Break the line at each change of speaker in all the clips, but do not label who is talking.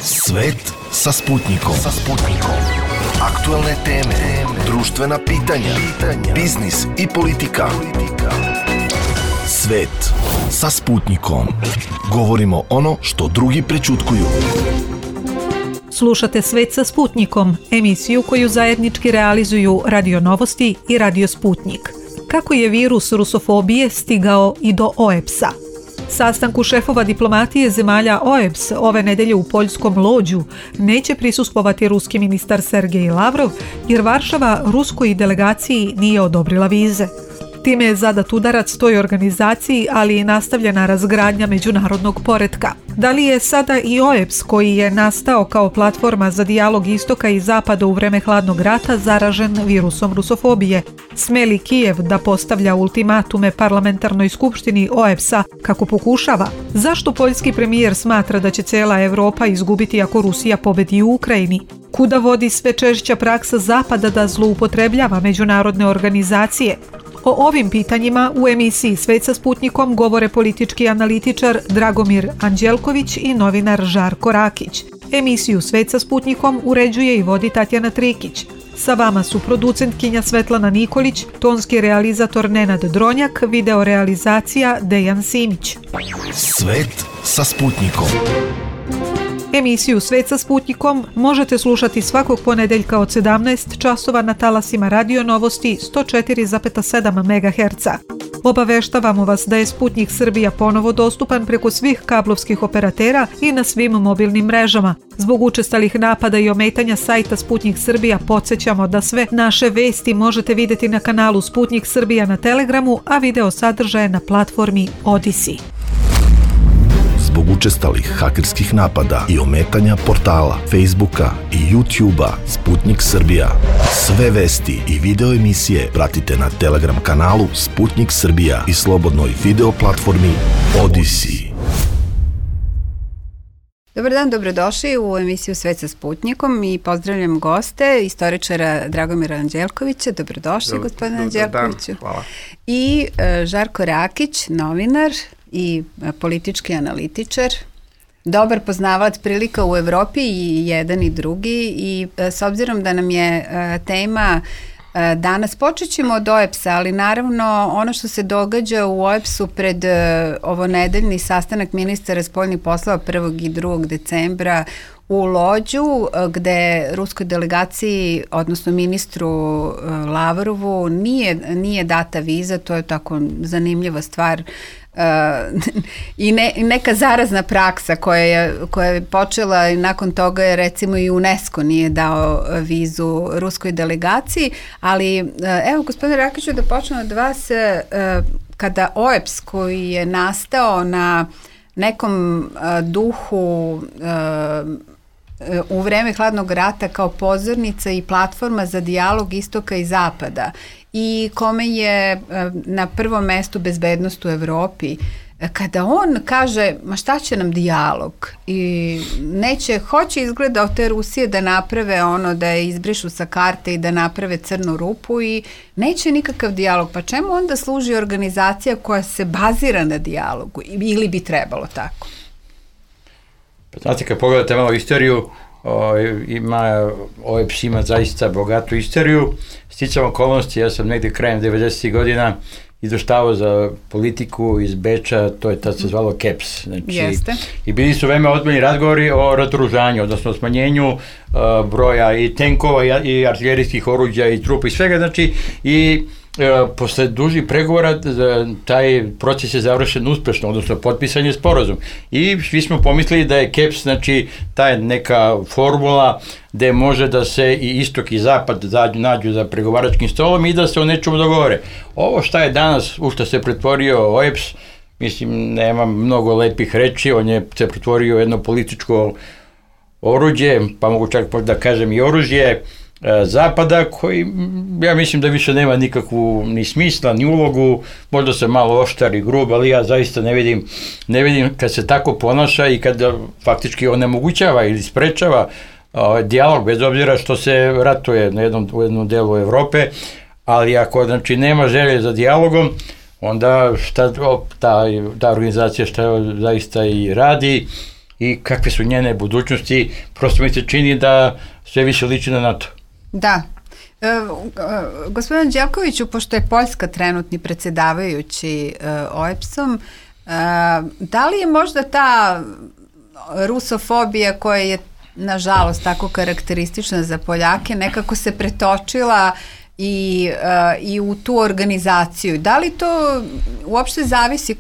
Svet sa Sputnikom. Aktuelne teme, društvena pitanja, biznis i politika. Svet sa Sputnikom. Govorimo ono što drugi prećutkuju.
Slušate Svet sa Sputnikom, emisiju koju zajednički realizuju Radio Novosti i Radio Sputnik. Kako je virus rusofobije stigao i do OEBS-a? Sastanku šefova diplomatije zemalja OEBS ove nedelje u poljskom Lođu neće prisustvovati ruski ministar Sergej Lavrov jer Varšava ruskoj delegaciji nije odobrila vize. Time je zadat udarac toj organizaciji, ali i nastavljena razgradnja međunarodnog poretka. Da li je sada i OEBS, koji je nastao kao platforma za dijalog istoka i zapada u vreme hladnog rata, zaražen virusom rusofobije? Sme li Kijev da postavlja ultimatume parlamentarnoj skupštini OEBS-a kako pokušava? Zašto poljski premijer smatra da će cela Evropa izgubiti ako Rusija pobedi u Ukrajini? Kuda vodi sve češća praksa Zapada da zloupotrebljava međunarodne organizacije? O ovim pitanjima u emisiji Svet sa Sputnikom govore politički analitičar Dragomir Anđelković i novinar Žarko Rakić. Emisiju Svet sa Sputnikom uređuje i vodi Tatjana Trikić. Sa vama su producentkinja Svetlana Nikolić, tonski realizator Nenad Dronjak, video realizacija Dejan Simić.
Svet sa Sputnikom.
Emisiju Svet sa Sputnikom možete slušati svakog ponedeljka od 17 časova na talasima Radio Novosti 104,7 MHz. Obaveštavamo vas da je Sputnik Srbija ponovo dostupan preko svih kablovskih operatera i na svim mobilnim mrežama. Zbog učestalih napada i ometanja sajta Sputnik Srbija podsjećamo da sve naše vesti možete vidjeti na kanalu Sputnik Srbija na Telegramu, a video sadržaje na platformi Odyssey.
Zbog učestalih hakerskih napada i ometanja portala, Facebooka i YouTubea Sputnik Srbija. Sve vesti i video emisije pratite na Telegram kanalu Sputnik Srbija i slobodnoj video platformi Odyssey.
Dobar dan, dobrodošli u emisiju Svet sa Sputnikom i pozdravljam goste, istoričara Dragomira Anđelkovića. Dobrodošli, gospodine Anđelkoviću.
Hvala.
I Žarko Rakić, novinar i politički analitičar, dobar poznavalac prilika u Evropi i jedan i drugi, i s obzirom da nam je tema danas, počet ćemo od OEBS-a, ali naravno ono što se događa u OEBS-u pred ovonedeljni sastanak ministara spoljnih poslova 1. i 2. decembra u Lođu, gde ruskoj delegaciji, odnosno ministru Lavrovu, nije data viza. To je tako zanimljiva stvar i neka zarazna praksa koja je počela i nakon toga je recimo i UNESCO nije dao vizu ruskoj delegaciji, ali evo gospodine Rakiću, da počnem od vas, kada OEBS, koji je nastao na nekom duhu u vreme hladnog rata kao pozornica i platforma za dijalog istoka i zapada i kome je na prvom mestu bezbednost u Evropi, kada on kaže ma šta će nam dijalog i hoće izgleda od te Rusije da naprave ono, da je izbrišu sa karte i da naprave crnu rupu i neće nikakav dijalog, pa čemu onda služi organizacija koja se bazira na dijalogu ili bi trebalo tako?
Znate, kad pogledate malo istoriju, OEBS ima zaista bogatu istoriju. Sticam okolnosti, ja sam negde krajem 90. godina izveštavao za politiku iz Beča, to je tad se zvalo KEPS. Znači, i bili su veoma ozbiljni razgovori o razoružanju, odnosno smanjenju broja i tenkova i artiljerijskih oruđa i trupa i svega, znači, i posle dužih pregovora taj proces je završen uspešno, odnosno potpisan je sporazum. I svi smo pomislili da je KEPS, znači, ta neka formula gde može da se i istok i zapad nađu za pregovaračkim stolom i da se o nečemu dogovore. Ovo šta je danas, u što se pretvorio OEBS, mislim, nema mnogo lepih reči, on je se pretvorio u jedno političko oruđe, pa mogu čak da kažem i oružje Zapada, koji ja mislim da više nema nikakvu ni smisla, ni ulogu, možda se malo oštar i grub, ali ja zaista ne vidim kad se tako ponaša i kad faktički onemogućava ili sprečava dijalog, bez obzira što se ratuje u jednom delu Evrope, ali ako znači nema želje za dijalogom, onda ta organizacija šta zaista i radi, i kakve su njene budućnosti, prosto mi se čini da sve više liči na NATO.
Da. Gospodin Đelkoviću, pošto je Poljska trenutni predsjedavajući OEBS-om, da li je možda ta rusofobija koja je nažalost tako karakteristična za Poljake nekako se pretočila i u tu organizaciju? Da li to uopšte zavisi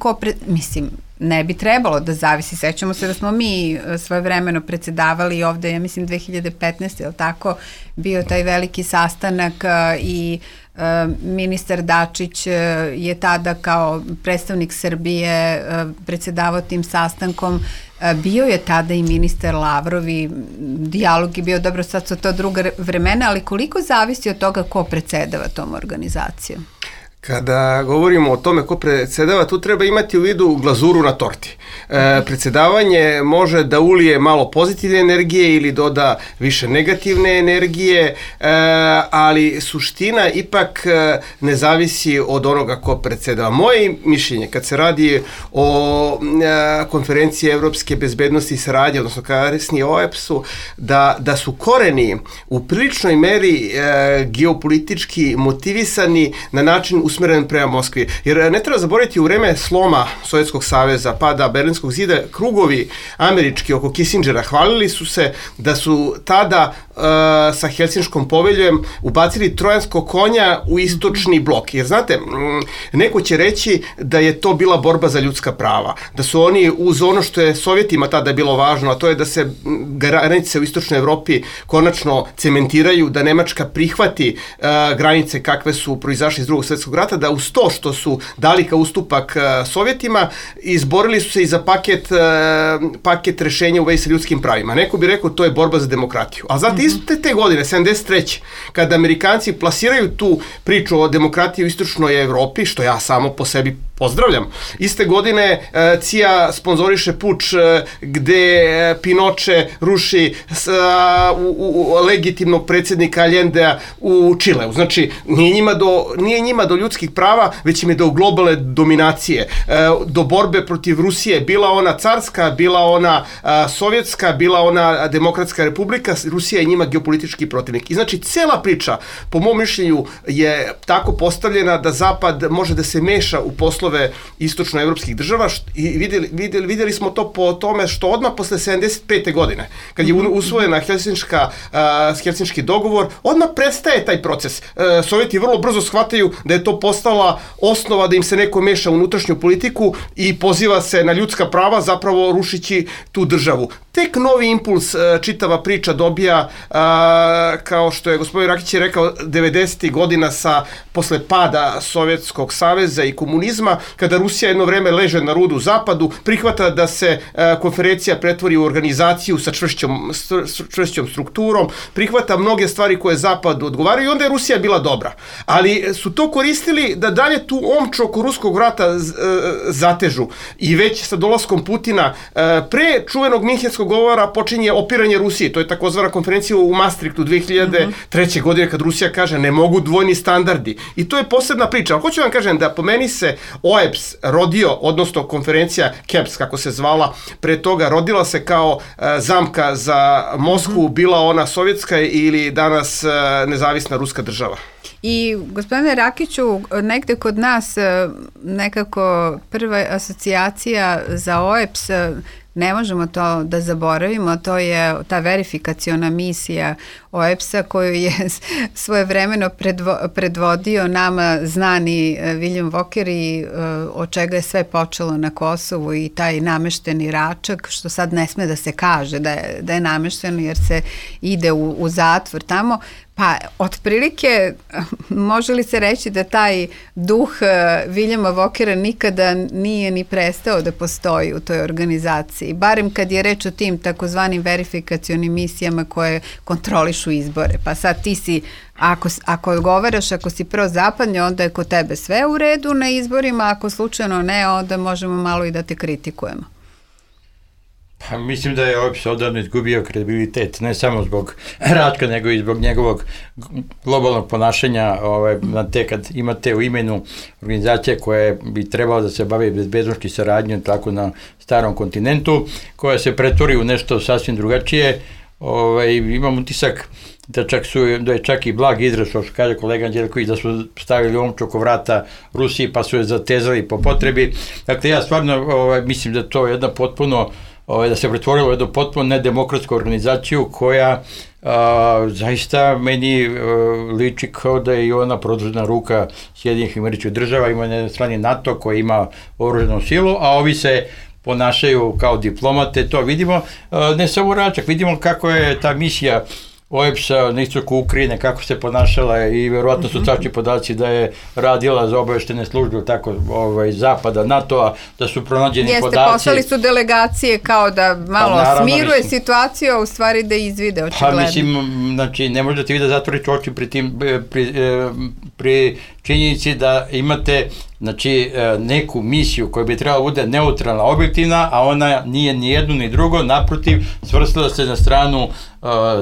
mislim, ne bi trebalo da zavisi. Sećamo se da smo mi svojevremeno predsjedavali ovde, ja mislim 2015. je li tako, bio taj veliki sastanak i ministar Dačić je tada kao predstavnik Srbije predsjedavao tim sastankom. Bio je tada i ministar Lavrov i dijalog je bio, dobro, sad su to druga vremena, ali koliko zavisi od toga ko predsjedava tom organizacijom?
Kada govorimo o tome ko predsjedava, tu treba imati u vidu glazuru na torti. Predsjedavanje može da ulije malo pozitivne energije ili doda više negativne energije, ali suština ipak ne zavisi od onoga ko predsjedava. Moje mišljenje, kad se radi o konferenciji Evropske bezbednosti i saradnje, odnosno kasnije OEBS-u, da su koreni u priličnoj meri geopolitički motivisani na način usmeren prema Moskvi. Jer ne treba zaboraviti, u vreme sloma Sovjetskog saveza, pada Berlinskog zida, krugovi američki oko Kissingera hvalili su se da su tada sa Helsinškom poveljom ubacili trojanskog konja u istočni blok. Jer znate, neko će reći da je to bila borba za ljudska prava, da su oni uz ono što je Sovjetima tada bilo važno, a to je da se granice u istočnoj Evropi konačno cementiraju, da Nemačka prihvati granice kakve su proizašle iz Drugog svjetskog rata, da uz to što su dali kao ustupak Sovjetima, izborili su se i za paket rešenja u vezi sa ljudskim pravima. Neko bi rekao to je borba za demokratiju. A znate, iste te godine, 73. kada Amerikanci plasiraju tu priču o demokratiji u istočnoj Evropi, što ja samo po sebi pozdravljam. Iste godine CIA sponzoriše puč gde Pinoče ruši legitimnog predsjednika Allendea u Čileu. Znači, nije njima do ljudskih prava, već im je do globalne dominacije, do borbe protiv Rusije, bila ona carska, bila ona sovjetska, bila ona demokratska republika, Rusija je njima geopolitički protivnik. I znači, cela priča, po mom mišljenju, je tako postavljena da Zapad može da se meša u poslove istočnoevropskih država i vidjeli smo to po tome što odmah posle 75. godine, kad je usvojena Helsinški dogovor, odmah prestaje taj proces. Sovjeti vrlo brzo shvataju da je to postala osnova da im se neko meša u unutrašnju politiku i poziva se na ljudska prava, zapravo rušići tu državu. Tek novi impuls čitava priča dobija, kao što je gospodin Rakić rekao, 90. godina posle pada Sovjetskog saveza i komunizma, kada Rusija jedno vreme leže na rudu zapadu, prihvata da se konferencija pretvori u organizaciju sa čvršćom strukturom, prihvata mnoge stvari koje zapadu odgovaraju i onda je Rusija bila dobra. Ali su to koristili da dalje tu omču oko ruskog vrata zatežu i već sa dolaskom Putina pre čuvenog Minhenskog govora počinje opiranje Rusije. To je takozvana konferencija u Maastrichtu 2003. godine kad Rusija kaže ne mogu dvojni standardi. I to je posebna priča. Ali hoću vam kažem da po meni se OEBS rodio, odnosno konferencija KEBS, kako se zvala, pre toga rodila se kao zamka za Moskvu, bila ona sovjetska ili danas nezavisna ruska država.
I gospodine Rakiću, negde kod nas nekako prva asocijacija za OEBS, ne možemo to da zaboravimo, to je ta verifikaciona misija OEBS-a koju je svojevremeno predvodio nama znani William Walker i od čega je sve počelo na Kosovu i taj namešteni račak, što sad ne sme da se kaže da je namešteno jer se ide u zatvor tamo. Pa, otprilike, može li se reći da taj duh Williama Walkera nikada nije ni prestao da postoji u toj organizaciji, barem kad je reč o tim takozvanim verifikacionim misijama koje kontrolišu izbore. Pa sad ti si, ako odgovaraš, ako si prozapadni, onda je kod tebe sve u redu na izborima, ako slučajno ne, onda možemo malo i da te kritikujemo.
Pa mislim da je OEBS odavno izgubio kredibilitet, ne samo zbog Račka, nego i zbog njegovog globalnog ponašanja, kad imate u imenu organizacije koja bi trebala da se bavi bezbednošću i saradnjom tako na starom kontinentu, koja se pretvori u nešto sasvim drugačije. Imam utisak da je čak i blag izraz, što kaže kolega Anđelković, da su stavili omču oko vrata Rusiji pa su je zatezali po potrebi. Dakle, ja stvarno mislim da to je jedna potpuno, da se pretvorilo u jednu potpuno nedemokratsku organizaciju koja zaista meni liči kao da je i ona produžena ruka Sjedinjenih Američkih Država, ima na jednoj strani NATO koji ima oružanu silu, a ovi se ponašaju kao diplomate, to vidimo, ne samo Račak, vidimo kako je ta misija OEBS-a na istoku Ukrajine, kako se ponašala i verovatno su tačni podaci da je radila za obaveštene službe tako zapada, NATO-a, da su pronađeni podaci.
Jeste, poslali su delegacije kao da malo smiruje situaciju, a u stvari da izvide očigledno.
Pa mislim, znači, ne možete vi da zatvorite oči pri činjenici da imate neku misiju koja bi trebala bude neutralna, objektivna, a ona nije ni jedno ni drugo, naprotiv, svrstala se na stranu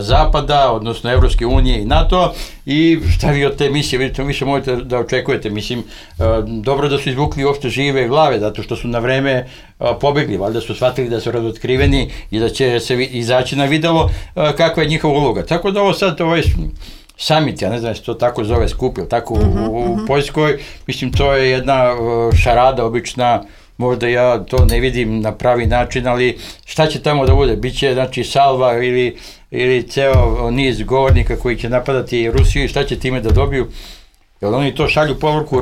Zapada, odnosno Evropske unije i NATO, i šta vi od te misije, vidite, više možete da očekujete, mislim, dobro da su izvukli uopšte žive glave, zato što su na vreme pobegli, valjda su shvatili da su razotkriveni i da će se izaći na videlo kakva je njihova uloga. Tako da ovo sad, summit, ja ne znam se to tako zove, skup, ili tako u Poljskoj, mislim, to je jedna šarada obična, možda ja to ne vidim na pravi način, ali šta će tamo da bude? Biće, znači, salva ili ceo niz govornika koji će napadati Rusiju i šta će time da dobiju? Jer oni to šalju poruku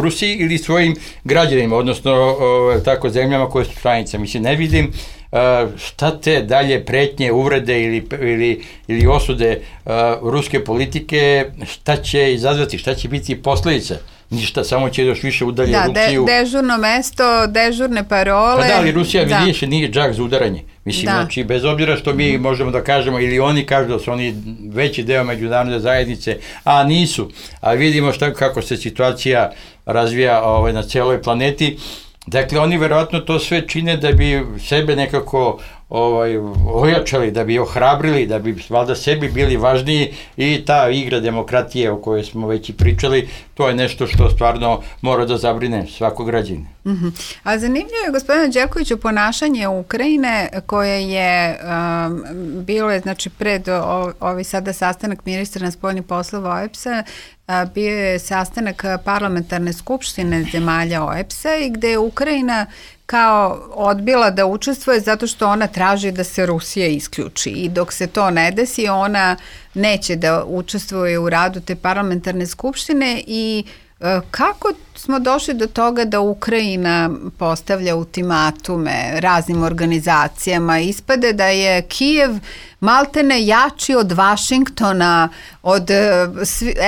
Rusiji ili svojim građanima, odnosno tako zemljama koje su članice. Mislim, ne vidim šta te dalje pretnje, uvrede ili osude ruske politike, šta će izazvati, šta će biti posledice. Ništa, samo će još više udalje Rusiju.
Da, dežurno mesto, dežurne parole. Pa
da, ali Rusija više nije džak za udaranje. Mislim, znači, bez obzira što mi možemo da kažemo, ili oni kažu da su oni veći deo međunarodne zajednice, a nisu. A vidimo kako se situacija razvija na celoj planeti. Dakle, oni verovatno to sve čine da bi sebe nekako ojačali, da bi ohrabrili, da bi valjda sebi bili važniji, i ta igra demokratije o kojoj smo već i pričali, to je nešto što stvarno mora da zabrine svakog građanina.
A zanimljivo je, gospodine Anđelkoviću, ponašanje Ukrajine koje je bilo, znači, pred ovaj sada sastanak ministra spoljnih poslova OEBS-a, bio je sastanak parlamentarne skupštine zemalja OEBS-a i gde je Ukrajina kao odbila da učestvuje zato što ona traži da se Rusija isključi, i dok se to ne desi ona neće da učestvuje u radu te parlamentarne skupštine. I kako smo došli do toga da Ukrajina postavlja ultimatume raznim organizacijama? Ispade da je Kijev maltene jači od Vašingtona, od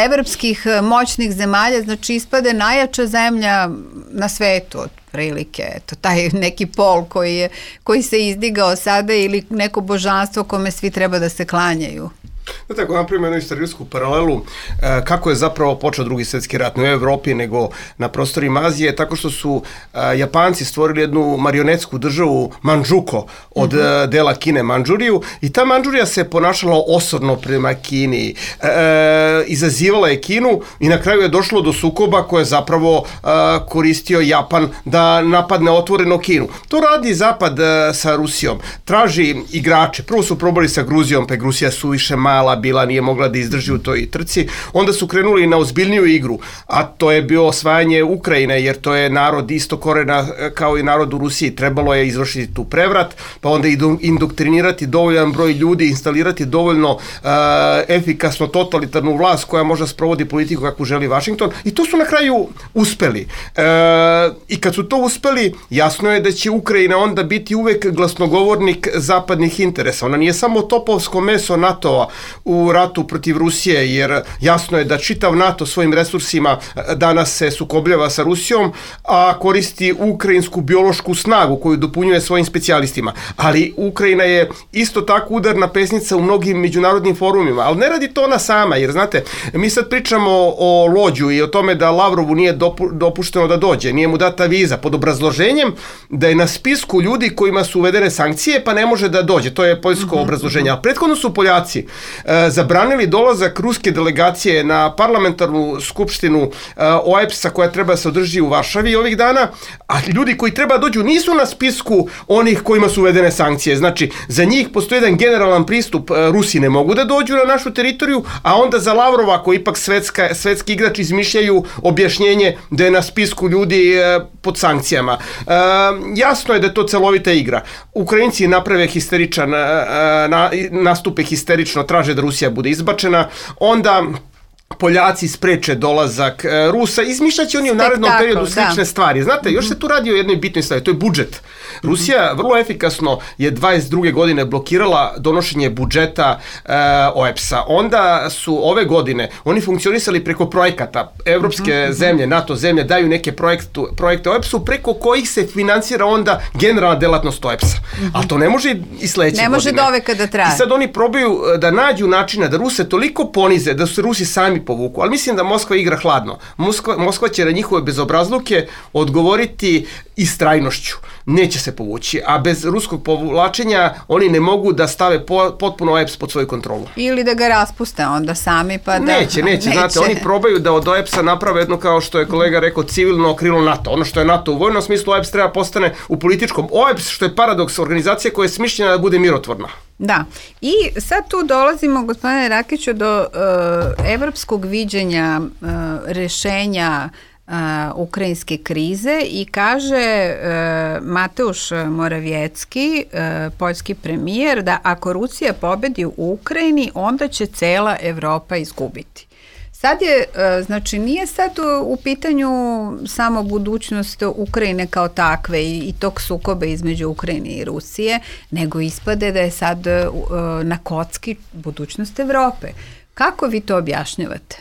evropskih moćnih zemalja, znači ispade najjača zemlja na svetu od prilike, eto, taj neki pol koji se izdigao sada, ili neko božanstvo kome svi treba da se klanjaju.
Znate, ako napravimo jednu istorijsku paralelu, kako je zapravo počeo Drugi svjetski rat, ne u Evropi, nego na prostorima Azije, tako što su Japanci stvorili jednu marionetsku državu Mandžuko od dela Kine Mandžuriju, i ta Mandžurija se ponašala osorno prema Kini, izazivala je Kinu, i na kraju je došlo do sukoba koje je zapravo koristio Japan da napadne otvoreno Kinu. To radi Zapad sa Rusijom, traži igrače, prvo su probali sa Gruzijom, pa je Gruzija suviše mala bila, nije mogla da izdrži u toj trci, onda su krenuli na ozbiljniju igru, a to je bio osvajanje Ukrajine, jer to je narod isto korena kao i narod u Rusiji, trebalo je izvršiti tu prevrat, pa onda indoktrinirati dovoljan broj ljudi, instalirati dovoljno efikasno totalitarnu vlast koja može sprovodi politiku kakvu želi Vašington, i to su na kraju uspeli. I kad su to uspeli, jasno je da će Ukrajina onda biti uvek glasnogovornik zapadnih interesa. Ona nije samo topovsko meso NATO-a. u ratu protiv Rusije, jer jasno je da čitav NATO svojim resursima danas se sukobljava sa Rusijom, a koristi ukrajinsku biološku snagu koju dopunjuje svojim specijalistima. Ali Ukrajina je isto tako udarna pesnica u mnogim međunarodnim forumima, ali ne radi to ona sama, jer znate, mi sad pričamo o Lođu i o tome da Lavrovu nije dopušteno da dođe, nije mu data viza, pod obrazloženjem da je na spisku ljudi kojima su uvedene sankcije pa ne može da dođe, to je poljsko obrazloženje. A prethodno su Poljaci zabranili dolazak ruske delegacije na parlamentarnu skupštinu OEBS-a koja treba da se održi u Varšavi ovih dana, a ljudi koji treba da dođu nisu na spisku onih kojima su uvedene sankcije. Znači, za njih postoji jedan generalan pristup, Rusi ne mogu da dođu na našu teritoriju, a onda za Lavrova, koji ipak svetski igrač, izmišljaju objašnjenje da je na spisku ljudi pod sankcijama. Jasno je da je to celovita igra. Ukrajinci naprave histeričan, nastupe histerično, traže da Rusija bude izbačena, onda Poljaci spreče dolazak Rusa, izmišljaće oni u narednom periodu slične stvari. Znate, još se tu radi o jednoj bitnoj stvari, to je budžet. Rusija vrlo efikasno je 22. godine blokirala donošenje budžeta OEBS-a. Onda su ove godine oni funkcionisali preko projekata. Evropske zemlje, NATO zemlje daju neke projekte OEBS-u preko kojih se finansira onda generalna delatnost OEBS-a. Ali to ne može i sledeće godine.
Ne može do veka da traje.
I sad oni probaju da nađu načina da Ruse toliko ponize, da su se Rusi sami povuku, ali mislim da Moskva igra hladno. Moskva će na njihove bezobrazluke odgovoriti istrajnošću. Neće se povući, a bez ruskog povlačenja oni ne mogu da stave potpuno OEBS pod svoju kontrolu.
Ili da ga raspuste onda sami, pa da...
Neće, znate, oni probaju da od OEBS-a naprave jedno, kao što je kolega rekao, civilno krilo NATO. Ono što je NATO u vojnom smislu, OEBS treba postane u političkom. OEBS, što je paradoks, organizacija koja je smišljena da bude mirotvorna.
Da, i sad tu dolazimo, gospodine Rakiću, do evropskog viđenja rešenja ukrajinske krize i kaže Mateusz Morawiecki, poljski premijer, da ako Rusija pobedi u Ukrajini, onda će cela Evropa izgubiti. Sad je, znači nije sad u pitanju samo budućnost Ukrajine kao takve i tog sukoba između Ukrajine i Rusije, nego ispade da je sad na kocki budućnost Evrope. Kako vi to objašnjavate?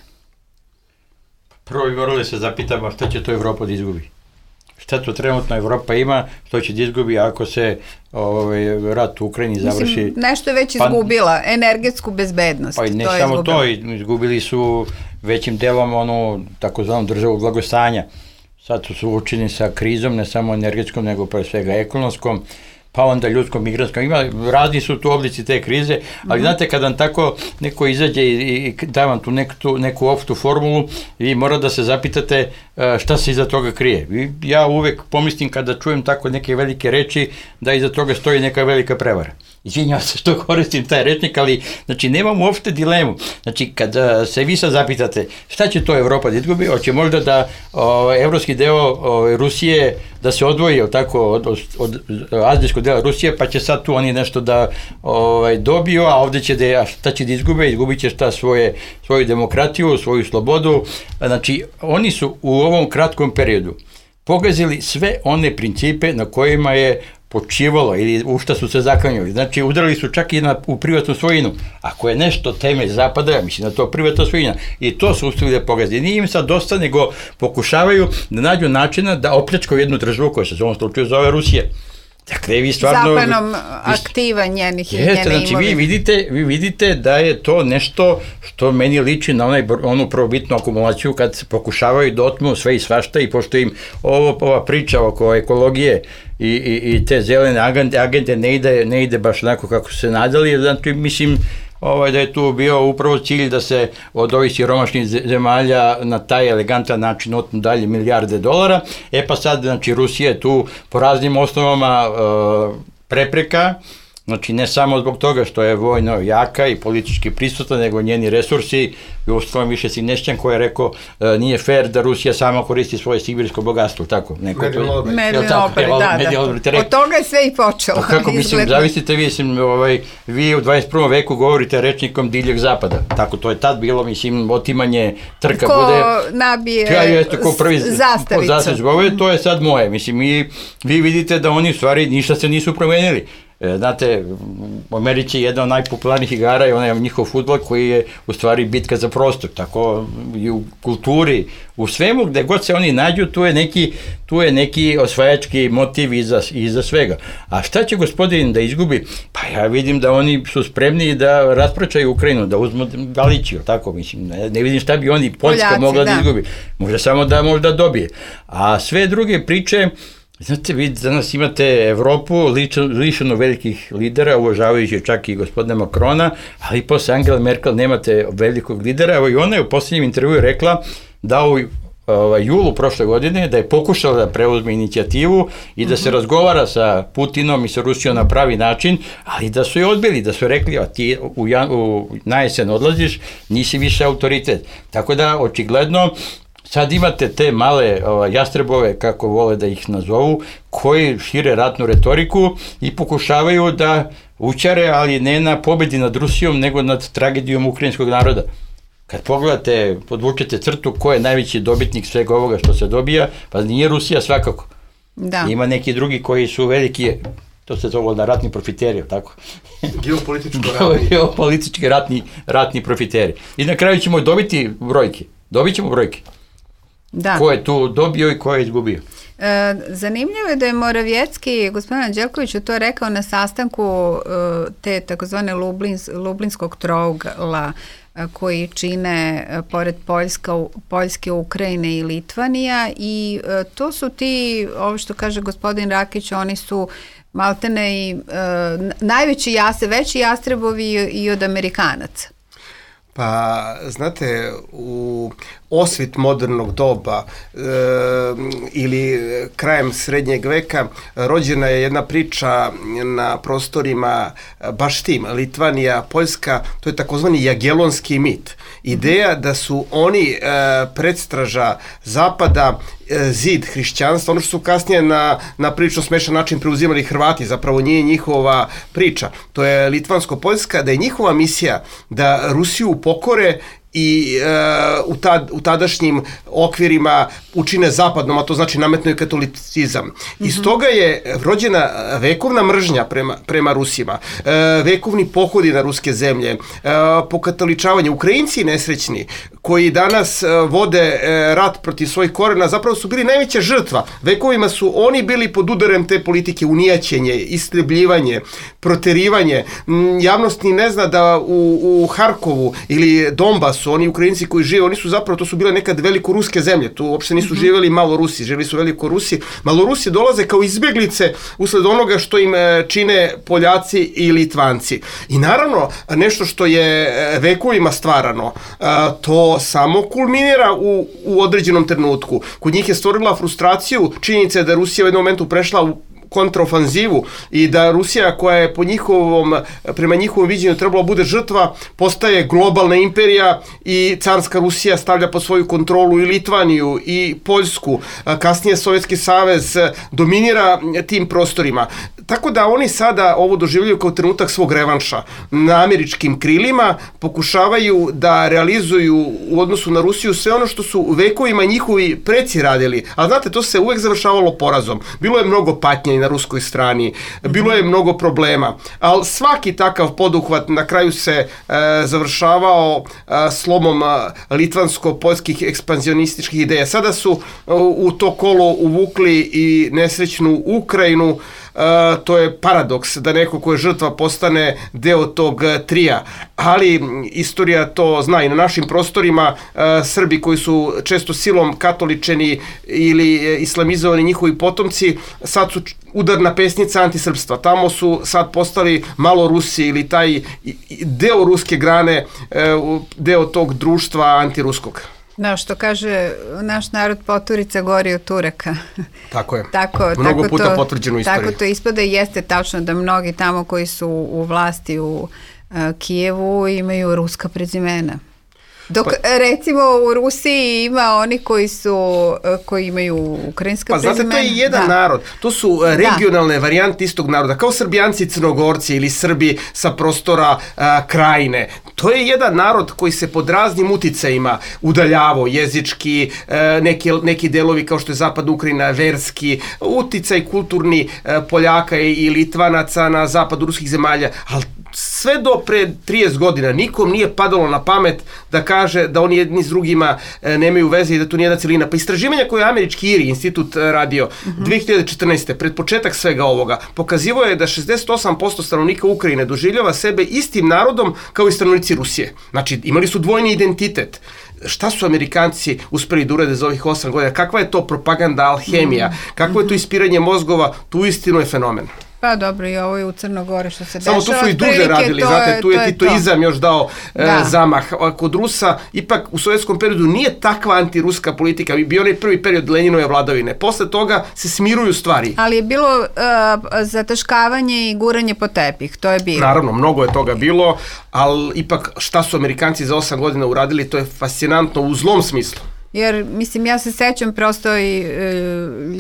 Prvo bi morali se zapitamo šta će to Evropa da izgubi. Šta to trenutno Evropa ima, što će da izgubi ako se rat u Ukrajini završi.
Mislim, nešto je već izgubila, energetsku bezbednost.
Pa i ne samo to, izgubili su većim delom onu takozvanu državu blagostanja. Sad su suočeni sa krizom, ne samo energetskom, nego pre svega ekonomskom, pa onda ljudskom, migranskom. Razni su tu oblici te krize, ali znate, kad vam tako neko izađe i da vam tu neku opštu formulu, vi mora da se zapitate šta se iza toga krije. Ja uvek pomislim kada čujem tako neke velike reči da iza toga stoji neka velika prevara. Izvinjavam se što koristim taj rečnik, ali znači nemam uopšte dilemu. Znači kad se vi sad zapitate šta će to Evropa da izgubi, hoće možda da evropski deo Rusije da se odvoji od azijskog dela Rusije, pa će sad tu oni nešto da dobiju, a ovde će šta će da izgube, izgubit će svoju demokratiju, svoju slobodu. Znači oni su u ovom kratkom periodu pogazili sve one principe na kojima je počivalo ili u šta su se zaklanjali. Znači, udarili su čak i u privatnu svojinu. Ako je nešto temelj zapada, ja mislim da to privatna svojina. I to su uspeli da pogazi. Nije im sad dosta, nego pokušavaju da nađu načina da opljačkaju jednu državu koja se u ovom slučaju zove Rusija. Dakle, vi stvarno...
Zapanom aktiva njene imovine.
Znači, vi vidite da je to nešto što meni liči na onu prvobitnu akumulaciju kad se pokušavaju da otmu sve i svašta, i pošto im ova priča oko ekologije i te zelene agende ne ide baš onako kako su se nadali, znači mislim da je tu bio upravo cilj da se od ovih siromašnih zemalja na taj elegantan način otmu dalje milijarde dolara. Pa sad, znači, Rusija je tu po raznim osnovama prepreka, znači ne samo zbog toga što je vojno jaka i politički prisutna, nego njeni resursi, i uostalom više Sinešćan koji je rekao nije fair da Rusija sama koristi svoje sibirsko bogatstvo, tako?
Medlin Olbert, da. Od toga je sve i počelo.
Kako, mislim, zavisite vi u 21. veku govorite rečnikom divljeg zapada, tako to je tad bilo, mislim, otimanje trka bude...
Ko nabije zastavicu.
To je sad moje, mislim, vi vidite da oni u stvari ništa se nisu promenili. Znate, u Americi je jedna od najpopularnijih igara i onaj njihov fudbal koji je u stvari bitka za prostor, tako i u kulturi, u svemu gde god se oni nađu, tu je neki osvajački motiv iza svega. A šta će gospodin da izgubi? Pa ja vidim da oni su spremni da raspračaju Ukrajinu, da uzmu Galiciju, tako mislim, ne vidim šta bi oni, Poljska mogla da izgubi, može samo da možda dobije. A sve druge priče, znate, vi danas imate Evropu lišenu velikih lidera, uvažavajući čak i gospodina Makrona, ali posle Angela Merkel nemate velikog lidera. Evo i ona je u posljednjem intervjuu rekla da u julu prošle godine da je pokušala da preuzme inicijativu i da se razgovara sa Putinom i sa Rusijom na pravi način, ali da su je odbili, da su rekli, a ti na jesen odlaziš, nisi više autoritet. Tako da, očigledno, sad imate te male jastrebove, kako vole da ih nazovu, koji šire ratnu retoriku i pokušavaju da učare, ali ne na pobedi nad Rusijom, nego nad tragedijom ukrajinskog naroda. Kad pogledate, podvučete crtu ko je najveći dobitnik svega ovoga što se dobija, pa nije Rusija svakako. Da. Ima neki drugi koji su veliki, to se zove na ratni profiteri, tako? Geopolitički ratni profiteri. I na kraju ćemo dobiti brojke. Dobit ćemo brojke. Da. Ko je tu dobio i ko je izgubio.
Zanimljivo je da je Moravjecki, gospodin Anđelković, to rekao na sastanku te takozvane Lublinskog trougla koji čine pored Poljske, Ukrajine i Litvanija, i to su ti, ovo što kaže gospodin Rakić, oni su maltene i najveći veći jastrebovi i od Amerikanaca.
Pa, znate, u osvit modernog doba ili krajem srednjeg veka rođena je jedna priča na prostorima baš tim, Litvanija, Poljska, to je takozvani jagelonski mit. Ideja da su oni predstraža Zapada, zid hrišćanstva, ono što su kasnije na prilično smešan način preuzimali Hrvati, zapravo nije njihova priča. To je litvansko-poljska, da je njihova misija da Rusiju pokore i u tadašnjim okvirima učine zapadnom, a to znači nametnuju katolicizam. Iz toga je rođena vekovna mržnja prema Rusima, vekovni pohodi na ruske zemlje, pokatoličavanje. Ukrajinci nesrećni koji danas vode rat protiv svojih korena, zapravo su bili najveća žrtva. Vekovima su oni bili pod udarem te politike, unijaćenje, istrebljivanje, proterivanje. Javnost ni ne zna da u Harkovu ili Donbasu, oni Ukrajinci koji žive, oni su zapravo, to su bile nekad velikoruske zemlje, tu uopšte nisu živjeli Malorusi, živjeli su velikorusi. Malorusi dolaze kao izbjeglice usled onoga što im čine Poljaci i Litvanci. I naravno, nešto što je vekovima stvarano, to samo kulminira u određenom trenutku. Kod njih je stvorila frustraciju, činjenica je da Rusija u jednom momentu prešla u kontraofanzivu i da Rusija, koja je prema njihovom viđenju trebalo bude žrtva, postaje globalna imperija i carska Rusija stavlja pod svoju kontrolu i Litvaniju i Poljsku. Kasnije Sovjetski savez dominira tim prostorima. Tako da oni sada ovo doživljaju kao trenutak svog revanša. Na američkim krilima pokušavaju da realizuju u odnosu na Rusiju sve ono što su vekovima njihovi preci radili. A znate, to se uvek završavalo porazom. Bilo je mnogo patnje na ruskoj strani, bilo je mnogo problema, ali svaki takav poduhvat na kraju se završavao slomom litvansko-poljskih ekspanzionističkih ideja. Sada su u to kolo uvukli i nesrećnu Ukrajinu. To je paradoks da neko ko je žrtva postane deo tog trija, ali istorija to zna. I na našim prostorima Srbi koji su često silom katoličeni ili islamizovani njihovi potomci, sad su udarna pesnica antisrpstva. Tamo su sad postali malo Rusi ili taj deo ruske grane, deo tog društva antiruskog.
Da, što kaže naš narod, poturica gori od Turaka.
Tako je. Mnogo puta potvrđeno u istoriji.
Tako to ispada i jeste tačno da mnogi tamo koji su u vlasti u Kijevu imaju ruska prezimena. Dok recimo u Rusiji ima oni koji imaju ukrajinska prezimena.
Pa znate, to je jedan narod. To su regionalne varijante istog naroda. Kao Srbijanci i Crnogorci ili Srbi sa prostora Krajine. To je jedan narod koji se pod raznim uticajima udaljavao, jezički, neki delovi kao što je zapadna Ukrajina, verski, uticaj kulturni Poljaka i Litvanaca na zapadu ruskih zemalja, ali sve do pre 30 godina nikom nije padalo na pamet da kaže da oni jedni s drugima nemaju veze i da to nije jedna celina. Pa istraživanja koje je američki IRI institut radio 2014. pred početak svega ovoga pokazivo je da 68% stanovnika Ukrajine doživljava sebe istim narodom kao i stanovnici Rusije. Znači, imali su dvojni identitet. Šta su Amerikanci uspeli da urade za ovih 8 godina? Kakva je to propaganda, alhemija? Kakvo je to ispiranje mozgova? Tu uistinu je fenomen.
Pa dobro, i ovo je u Crnogori što se dešava.
Samo tu su i duže radili, znate, tu je titoizam još dao zamah. Kod Rusa, ipak u sovjetskom periodu nije takva antiruska politika, bio onaj prvi period Leninove vladavine. Posle toga se smiruju stvari.
Ali je bilo zataškavanje i guranje po tepih, to je bilo.
Naravno, mnogo je toga bilo, ali ipak šta su Amerikanci za 8 godina uradili, to je fascinantno u zlom smislu.
Jer, mislim, ja se sećam prosto i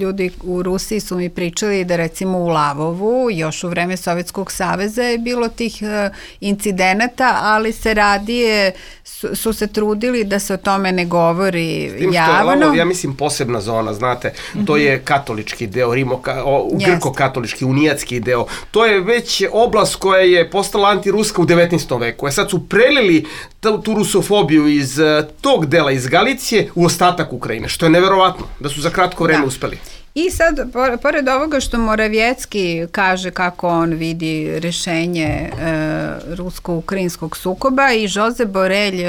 ljudi u Rusiji su mi pričali da recimo u Lavovu, još u vreme Sovjetskog saveza je bilo tih incidenata, ali se radije, su se trudili da se o tome ne govori javno. S tim što je Lavov,
ja mislim, posebna zona, znate, to je katolički deo, grko-katolički, unijatski deo. To je već oblast koja je postala antiruska u 19. veku. Sad su prelili tu rusofobiju iz tog dela, iz Galicije, u ostatak Ukrajine, što je neverovatno, da su za kratko vreme uspeli.
I sad, pored ovoga što Moravjecki kaže kako on vidi rešenje rusko-ukrajinskog sukoba, i Josep Borelj,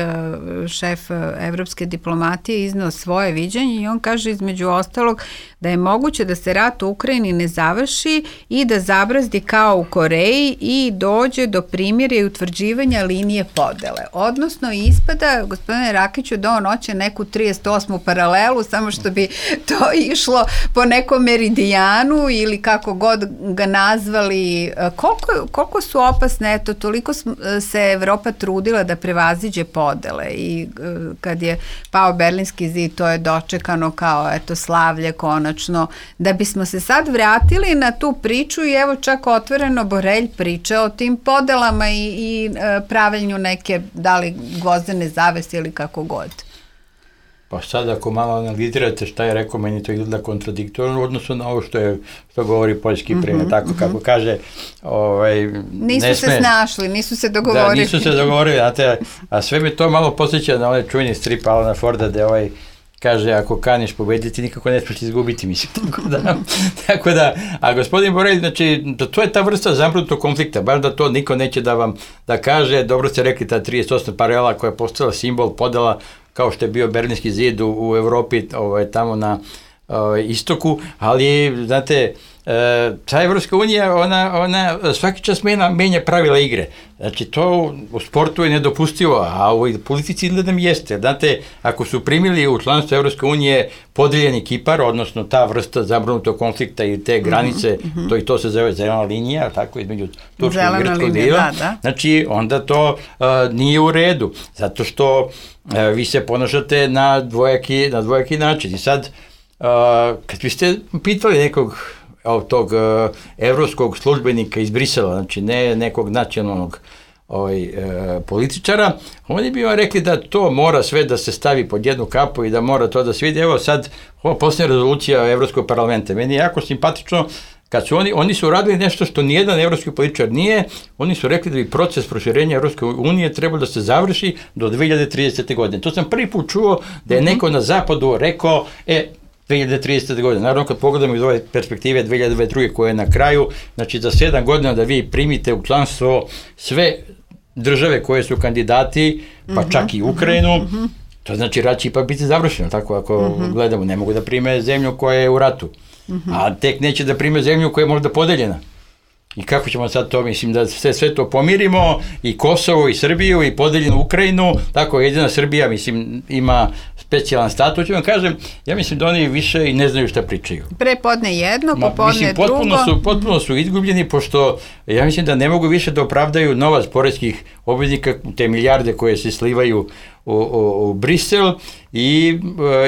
šef evropske diplomatije, izneo svoje viđenje i on kaže između ostalog da je moguće da se rat u Ukrajini ne završi i da zabrazdi kao u Koreji i dođe do primirja i utvrđivanja linije podele. Odnosno, ispada, gospodine Rakiću, da on hoće neku 38. paralelu, samo što bi to išlo po nekom meridijanu ili kako god ga nazvali. Koliko su opasne, eto, toliko se Evropa trudila da prevaziđe podele i kad je pao Berlinski zid, to je dočekano kao, eto, slavlje konačno, da bismo se sad vratili na tu priču i evo čak otvoreno Borelj priča o tim podelama i pravljenju neke, da li gvozdene zavese ili kako god.
Pa sad ako malo analizirate šta je rekao, meni to izgleda kontradiktorno u odnosu na ovo što govori poljski premijer, tako kako kaže,
nisu se snašli, nisu se dogovorili.
Da, nisu se dogovorili, znate, a sve mi to malo posjeća na onaj čuveni strip Alana Forda, gde kaže, ako kaniš pobediti, nikako ne smiješ izgubiti, mislim. Tako da, a gospodin Borelj, znači, to je ta vrsta zamrznutog konflikta, baš da to niko neće da vam da kaže, dobro ste rekli, ta 38. paralela koja je postala simbol podela, kao što je bio Berlinski zid u Evropi, tamo na istoku, ali, znate, ta Evropska unija, ona svaki čas menja pravila igre. Znači, to u sportu je nedopustivo, a u politici izgledam jeste. Znate, ako su primili u članstvo Evropske unije podeljeni Kipar, odnosno ta vrsta zamrznutog konflikta i te granice, to se zove zelena linija, tako, između turskog i grčkog dela, znači, onda to nije u redu, zato što vi se ponašate na dvojaki način. I sad, kad biste pitali nekog tog evropskog službenika iz Brisela, znači ne nekog nacionalnog političara, oni bi vam rekli da to mora sve da se stavi pod jednu kapu i da mora to da se vidi. Evo sad, ova posljednja rezolucija Evropskog parlamenta, meni je jako simpatično kad su oni su radili nešto što nijedan evropski političar nije, oni su rekli da bi proces proširenja Evropske unije trebao da se završi do 2030. godine. To sam prvi put čuo da je neko na zapadu rekao, 2030. godine. Naravno, kad pogledamo iz ove perspektive 2022. koja je na kraju, znači za 7 godina da vi primite u članstvo sve države koje su kandidati, pa čak i Ukrajinu, to znači rat će ipak biti završeno, tako ako gledamo, ne mogu da prime zemlju koja je u ratu, a tek neće da prime zemlju koja je možda podeljena. I kako ćemo sad to, mislim, da sve to pomirimo, i Kosovo, i Srbiju, i podeljenu Ukrajinu, tako jedina Srbija, mislim, ima specijalan status, ću vam kažem, ja mislim da oni više i ne znaju šta pričaju.
Prepodne jedno, popodne drugo.
Potpuno su izgubljeni, pošto ja mislim da ne mogu više da opravdaju novac poreskih obveznika, te milijarde koje se slivaju u Brisel i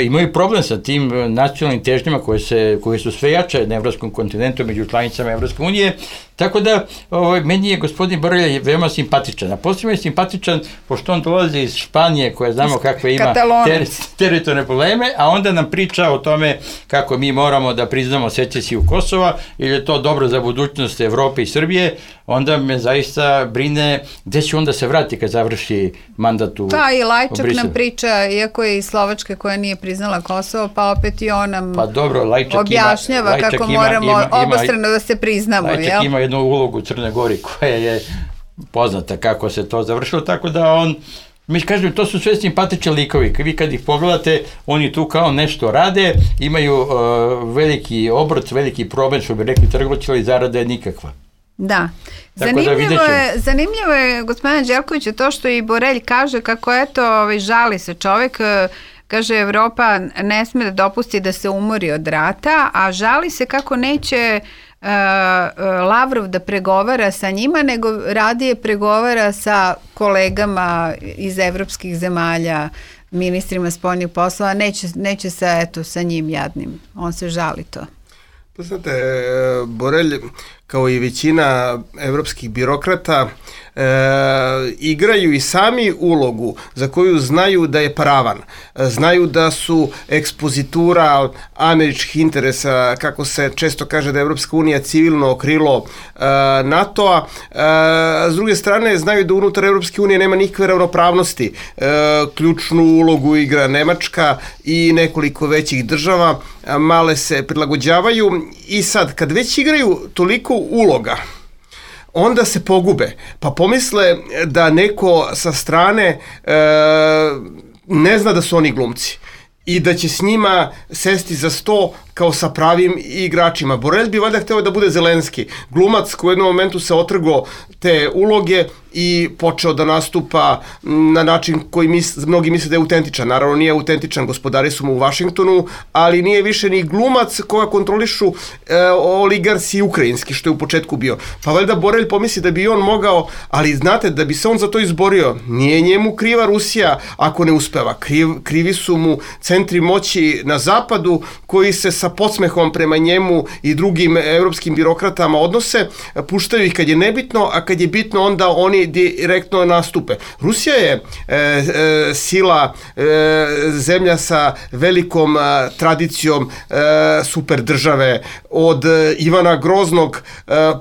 imaju problem sa tim nacionalnim težnjama koje su sve jače na evropskom kontinentu među članicama Evropske unije, tako da meni je gospodin Borelj veoma simpatičan, a posebno je simpatičan pošto on dolazi iz Španije koja znamo kakve ima teritorijalne probleme, a onda nam priča o tome kako mi moramo da priznamo secesiju Kosova ili je to dobro za budućnost Evrope i Srbije, onda me zaista brine gde će onda se vrati kad završi mandat u Briselu.
Pa i Lajčak nam priča, iako je iz Slovačke koja nije priznala Kosovo, pa opet i on nam objašnjava kako moramo obostrano da se priznamo.
Lajčak ima jednu ulogu u Crnoj Gori koja je poznata kako se to završilo, tako da on, mi kažem, to su sve simpatični likovi, vi kad ih pogledate, oni tu kao nešto rade, imaju veliki obrt, veliki problem, što bi rekli trgovci, ali zarada je nikakva.
Da. Zanimljivo je gospodine Đerkoviću to što i Borelj kaže kako eto žali se čovjek, kaže Evropa ne sme da dopusti da se umori od rata, a žali se kako neće Lavrov da pregovara sa njima, nego radije pregovara sa kolegama iz evropskih zemalja, ministrima spoljnih poslova, neće sa njim jadnim. On se žali to.
Pa znate, Borelj, kao i većina evropskih birokrata, igraju i sami ulogu za koju znaju da je paravan. Znaju da su ekspozitura američkih interesa, kako se često kaže da je Evropska unija civilno krilo NATO-a. S druge strane, znaju da unutar Evropske unije nema nikakve ravnopravnosti. Ključnu ulogu igra Nemačka i nekoliko većih država, male se prilagođavaju i sad, kad već igraju toliko uloga, onda se pogube, pa pomisle da neko sa strane ne zna da su oni glumci i da će s njima sesti za sto kao sa pravim igračima. Borelj bi valjda hteo da bude Zelenski, glumac koji u jednom momentu se otrgo te uloge i počeo da nastupa na način koji mnogi misle da je autentičan. Naravno nije autentičan, gospodari su mu u Vašingtonu, ali nije više ni glumac koga kontrolišu oligarsi ukrajinski, što je u početku bio. Pa valjda Borelj pomisli da bi on mogao, ali znate, da bi se on za to izborio, nije njemu kriva Rusija ako ne uspeva. Krivi su mu centri moći na zapadu koji se sa podsmehom prema njemu i drugim evropskim birokratama odnose, puštaju ih kad je nebitno, a kad je bitno onda oni direktno nastupe. Rusija je sila, zemlja sa velikom tradicijom super države, od Ivana Groznog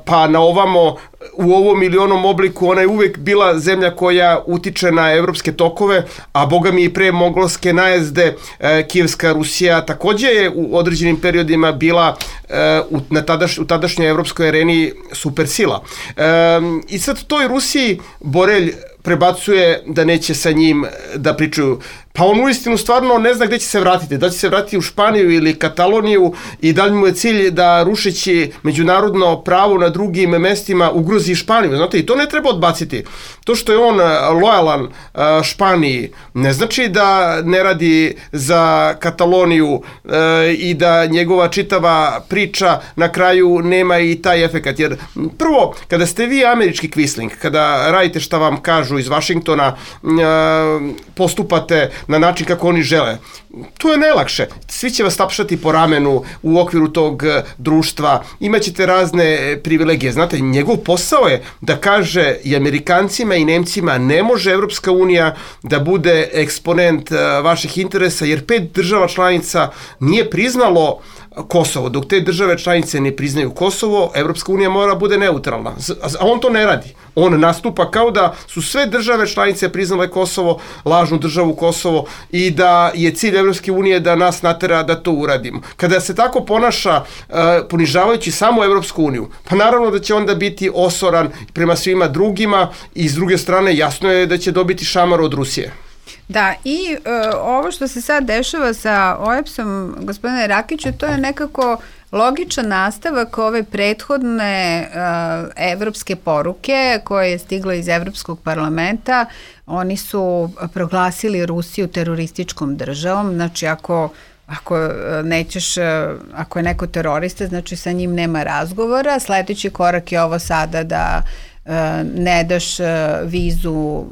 pa na ovamo. U ovom ili onom obliku ona je uvek bila zemlja koja utiče na evropske tokove, a boga mi i pre mogolske najezde Kijevska Rusija takođe je u određenim periodima bila u tadašnjoj evropskoj areni supersila. I sad toj Rusiji Borelj prebacuje da neće sa njim da pričaju. Pa on uistinu stvarno ne zna gde će se vratiti. Da će se vratiti u Španiju ili Kataloniju i da li mu je cilj da rušeći međunarodno pravo na drugim mestima ugrozi Španiju. Znate, i to ne treba odbaciti. To što je on lojalan Španiji ne znači da ne radi za Kataloniju i da njegova čitava priča na kraju nema i taj efekat. Jer prvo, kada ste vi američki kvisling, kada radite šta vam kažu iz Vašingtona, postupate na način kako oni žele. To je najlakše. Svi će vas tapšati po ramenu u okviru tog društva. Imaćete razne privilegije. Znate, njegov posao je da kaže i Amerikancima i Nemcima ne može Evropska unija da bude eksponent vaših interesa, jer 5 država članica nije priznalo Kosovo. Dok te države članice ne priznaju Kosovo, Evropska unija mora bude neutralna. A on to ne radi. On nastupa kao da su sve države članice priznale Kosovo, lažnu državu Kosovo, i da je cilj Evropske unije da nas natera da to uradimo. Kada se tako ponaša ponižavajući samo Evropsku uniju, pa naravno da će onda biti osoran prema svima drugima i s druge strane jasno je da će dobiti šamar od Rusije.
Da, i ovo što se sad dešava sa OEBS-om, gospodine Rakiću, to je nekako logičan nastavak ove prethodne evropske poruke koje je stiglo iz Evropskog parlamenta. Oni su proglasili Rusiju terorističkom državom, znači ako je neko terorista, znači sa njim nema razgovora. Sledeći korak je ovo sada da ne daš vizu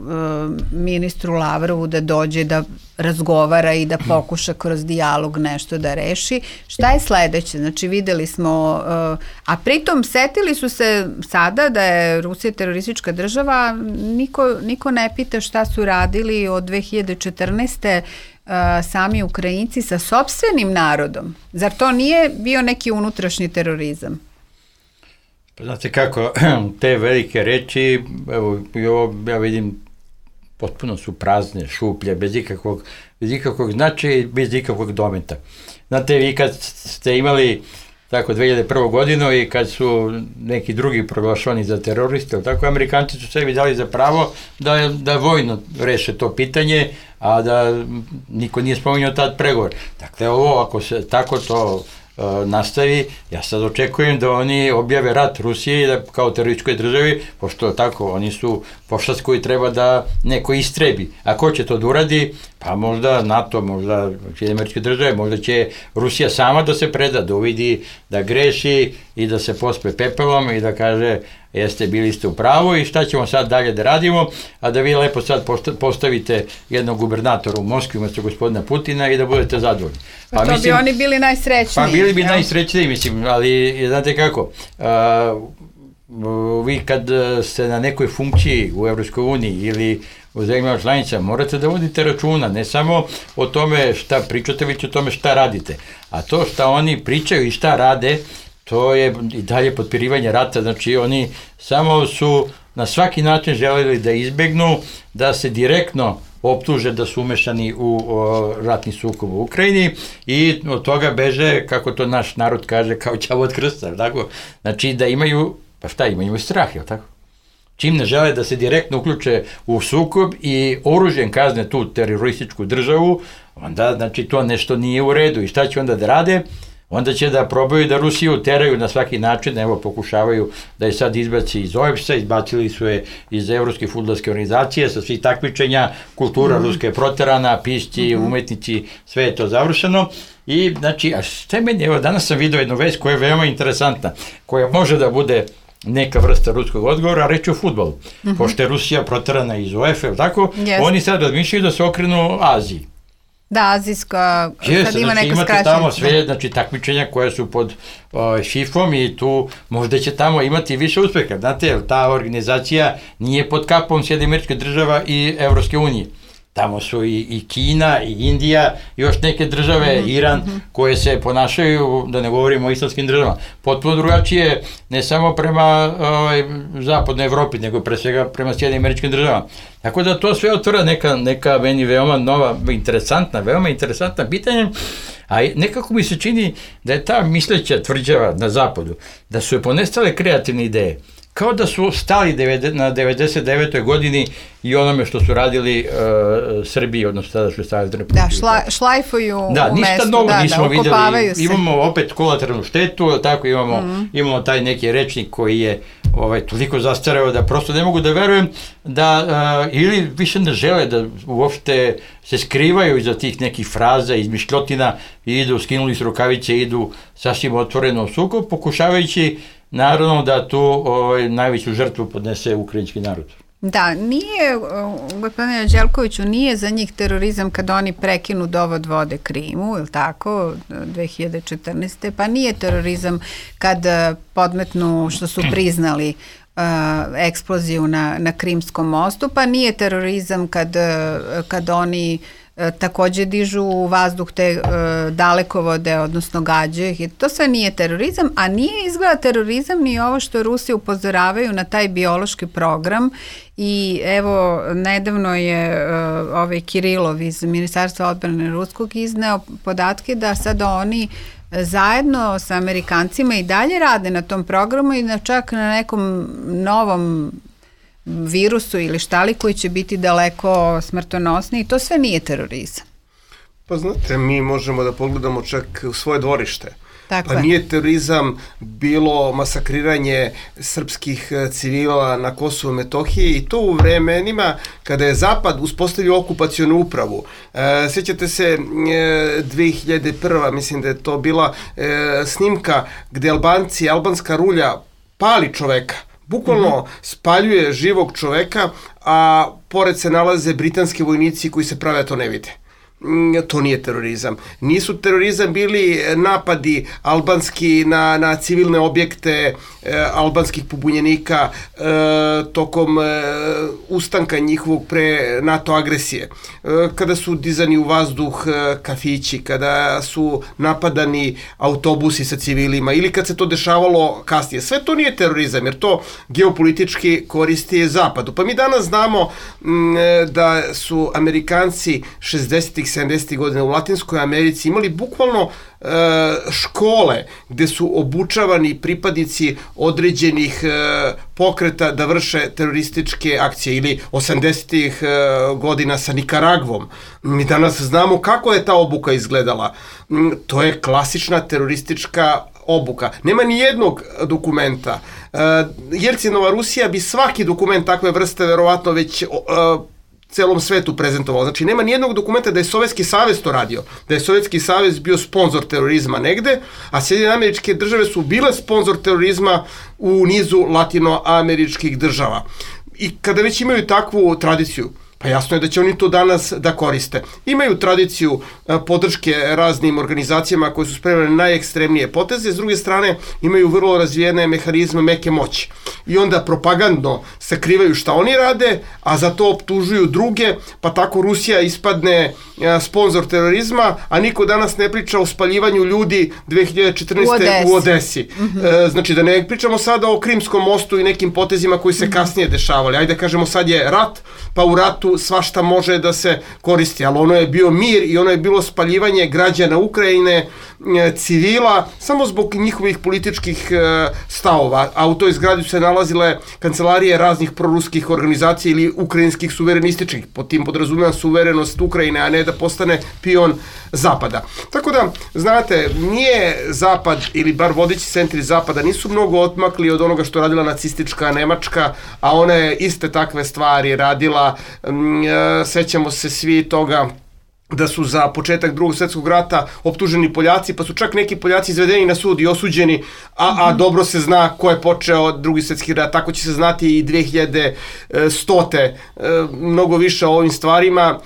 ministru Lavrovu da dođe da razgovara i da pokuša kroz dijalog nešto da reši. Šta je sledeće? Znači videli smo, a pritom setili su se sada da je Rusija teroristička država, niko ne pita šta su radili od 2014. Sami Ukrajinci sa sopstvenim narodom. Zar to nije bio neki unutrašnji terorizam?
Pa znate kako, te velike reči, evo, ja vidim, potpuno su prazne, šuplje, bez ikakvog značaja i bez ikakvog dometa. Znate, vi kad ste imali tako 2001. godinu i kad su neki drugi proglašeni za teroriste, tako Amerikanci su sebi dali za pravo da vojno reše to pitanje, a da niko nije spominjao tad pregovor. Dakle, ovo, ako se tako to nastavi, ja sad očekujem da oni objave rat Rusiji kao terorističkoj državi, pošto tako, oni su pošast koji treba da neko istrebi. A ko će to da uradi? Pa možda NATO, možda Američke države, možda će Rusija sama da se preda, da uvidi da greši i da se pospe pepelom i da kaže bili ste u pravu i šta ćemo sad dalje da radimo, a da vi lepo sad postavite jednog gubernatora u Moskvi umesto gospodina Putina i da budete zadovoljni.
Pa to bi oni bili najsrećniji.
Pa bili bi najsrećniji, mislim, ali znate kako, vi kad ste na nekoj funkciji u Evropskoj uniji ili u zemljama članica, morate da vodite računa, ne samo o tome šta pričate, već o tome šta radite. A to šta oni pričaju i šta rade, to je i dalje potpirivanje rata, znači oni samo su na svaki način želeli da izbegnu, da se direktno optuže da su umešani u ratni sukob u Ukrajini i od toga beže, kako to naš narod kaže, kao ćavo od krsta, tako? Znači da imaju, pa šta imaju strah, je li tako? Čim ne žele da se direktno uključe u sukob i oružjem kazne tu terorističku državu, onda znači to nešto nije u redu i šta će onda da rade? Onda će da probaju da Rusiju teraju na svaki način, evo pokušavaju da je sad izbaci iz OEBS-a, izbacili su je iz Evropske fudbalske organizacije, sa svih takmičenja, kultura ruska je proterana, pisci, umetnici, sve je to završeno. I znači, a šta meni, evo danas sam vidio jednu vest koja je veoma interesantna, koja može da bude neka vrsta ruskog odgovora, reći o fudbalu. Pošto je Rusija proterana iz UEFA, tako, oni sad razmišljaju da se okrenu Aziji.
Da, azijska, sad ima neka skraćenica.
Imate tamo sve, znači, takmičenja koje su pod FIFA-om i tu možda će tamo imati više uspeha. Znate, ta organizacija nije pod kapom Sjedinjenih Američkih Država i Evropske unije. Tamo su i Kina, i Indija, i još neke države, Iran, koje se ponašaju, da ne govorimo o islamskim državama, potpuno drugačije, ne samo prema zapadnoj Evropi, nego pre svega prema Sjedinjenim Američkim Državama. Tako da to sve otvara neka meni veoma nova, veoma interesantna pitanja, a nekako mi se čini da je ta misleća tvrđava na zapadu, da su je ponestale kreativne ideje, kao da su stali na 99. godini i onome što su radili Srbiji, odnosno tada što je stavili Republiku.
Da, šlajfuju u mestu.
Da, ništa novo nismo videli. Imamo opet kolateralnu štetu, tako imamo taj neki rečnik koji je toliko zastareo da prosto ne mogu da verujem da ili više ne žele da uopšte se skrivaju iza tih nekih fraza, izmišljotina i idu, skinuli su rukavice, idu sasvim otvoreno u sukob, pokušavajući naravno da tu najveću žrtvu podnese ukrajinski narod.
Da, nije, gospodine Đelkoviću, nije za njih terorizam kad oni prekinu dovod vode Krimu, ili tako, 2014. Pa nije terorizam kad podmetnu što su priznali eksploziju na Krimskom mostu, pa nije terorizam kad oni takođe dižu u vazduh te dalekovode, odnosno gađaju ih. To sve nije terorizam, a nije izgleda terorizam ni ovo što Rusi upozoravaju na taj biološki program i evo, nedavno je Kirilov iz Ministarstva odbrane Ruskog izneo podatke da sada oni zajedno sa Amerikancima i dalje rade na tom programu i čak na nekom novom virusu ili štali koji će biti daleko smrtonosniji, to sve nije terorizam.
Pa znate, mi možemo da pogledamo čak u svoje dvorište.
Tako
pa nije terorizam bilo masakriranje srpskih civila na Kosovu i Metohiji i to u vremenima kada je Zapad uspostavio okupacionu upravu. Sjećate se 2001. mislim da je to bila snimka gde Albanci, albanska rulja pali čoveka, Bukvalno spaljuje živog čoveka, a pored se nalaze britanski vojnici koji se prave to ne vide. To nije terorizam. Nisu terorizam bili napadi albanski na civilne objekte albanskih pobunjenika tokom ustanka njihovog pre NATO agresije. Kada su dizani u vazduh kafići, kada su napadani autobusi sa civilima ili kad se to dešavalo kasnije. Sve to nije terorizam jer to geopolitički koristi Zapadu. Pa mi danas znamo da su Amerikanci 60-ih 70. godina u Latinskoj Americi imali bukvalno škole gde su obučavani pripadnici određenih pokreta da vrše terorističke akcije ili 80. godina sa Nikaragvom. Mi danas znamo kako je ta obuka izgledala. To je klasična teroristička obuka. Nema ni jednog dokumenta. Jelcinova Rusija bi svaki dokument takve vrste verovatno već celom svetu prezentovalo. Znači, nema nijednog dokumenta da je Sovjetski savez to radio, da je Sovjetski savez bio sponzor terorizma negde, a Sjedinjene Američke Države su bile sponzor terorizma u nizu latinoameričkih država. I kada već imaju takvu tradiciju, pa jasno je da će oni to danas da koriste. Imaju tradiciju podrške raznim organizacijama koje su spremne na najekstremnije poteze, s druge strane imaju vrlo razvijene mehanizme meke moći. I onda propagandno sakrivaju šta oni rade, a za to optužuju druge, pa tako Rusija ispadne sponzor terorizma, a niko danas ne priča o spaljivanju ljudi 2014. u Odesi. Znači da ne pričamo sada o Krimskom mostu i nekim potezima koji se kasnije dešavali. Ajde kažemo sad je rat, pa u ratu svašta može da se koristi, ali ono je bio mir i ono je bilo spaljivanje građana Ukrajine, civila, samo zbog njihovih političkih stavova, a u toj zgradi su se nalazile kancelarije raznih proruskih organizacija ili ukrajinskih suverenističkih, pod tim podrazumijem suverenost Ukrajine, a ne da postane pion Zapada. Tako da, znate, nije Zapad ili bar vodeći centri Zapada nisu mnogo odmakli od onoga što radila nacistička Nemačka, a ona je iste takve stvari radila. Sećamo se svi toga da su za početak Drugog svjetskog rata optuženi Poljaci, pa su čak neki Poljaci izvedeni na sud i osuđeni, a dobro se zna ko je počeo Drugi svjetski rat, tako će se znati i 2100. Mnogo više o ovim stvarima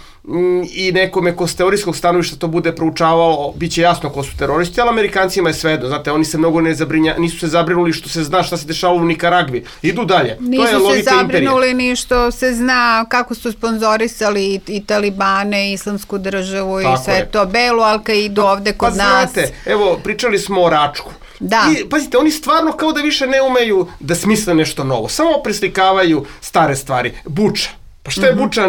i nekome ko s teorijskog stanovišta to bude proučavalo, bit će jasno ko su teroristi, ali Amerikancima je svejedno, znate, oni se mnogo nisu se zabrinuli što se zna šta se dešavalo u Nikaragvi. Idu dalje.
Nisu
to je
se zabrinuli ni što se zna kako su sponzorisali i Talibane, i Islamsku državu i sve to, Belu Al-Kaidu ovde kod nas.
Znate, evo, pričali smo o Račku.
Da.
I, pazite, oni stvarno kao da više ne umeju da smisle nešto novo, samo preslikavaju stare stvari. Buča. Pa šta je Buča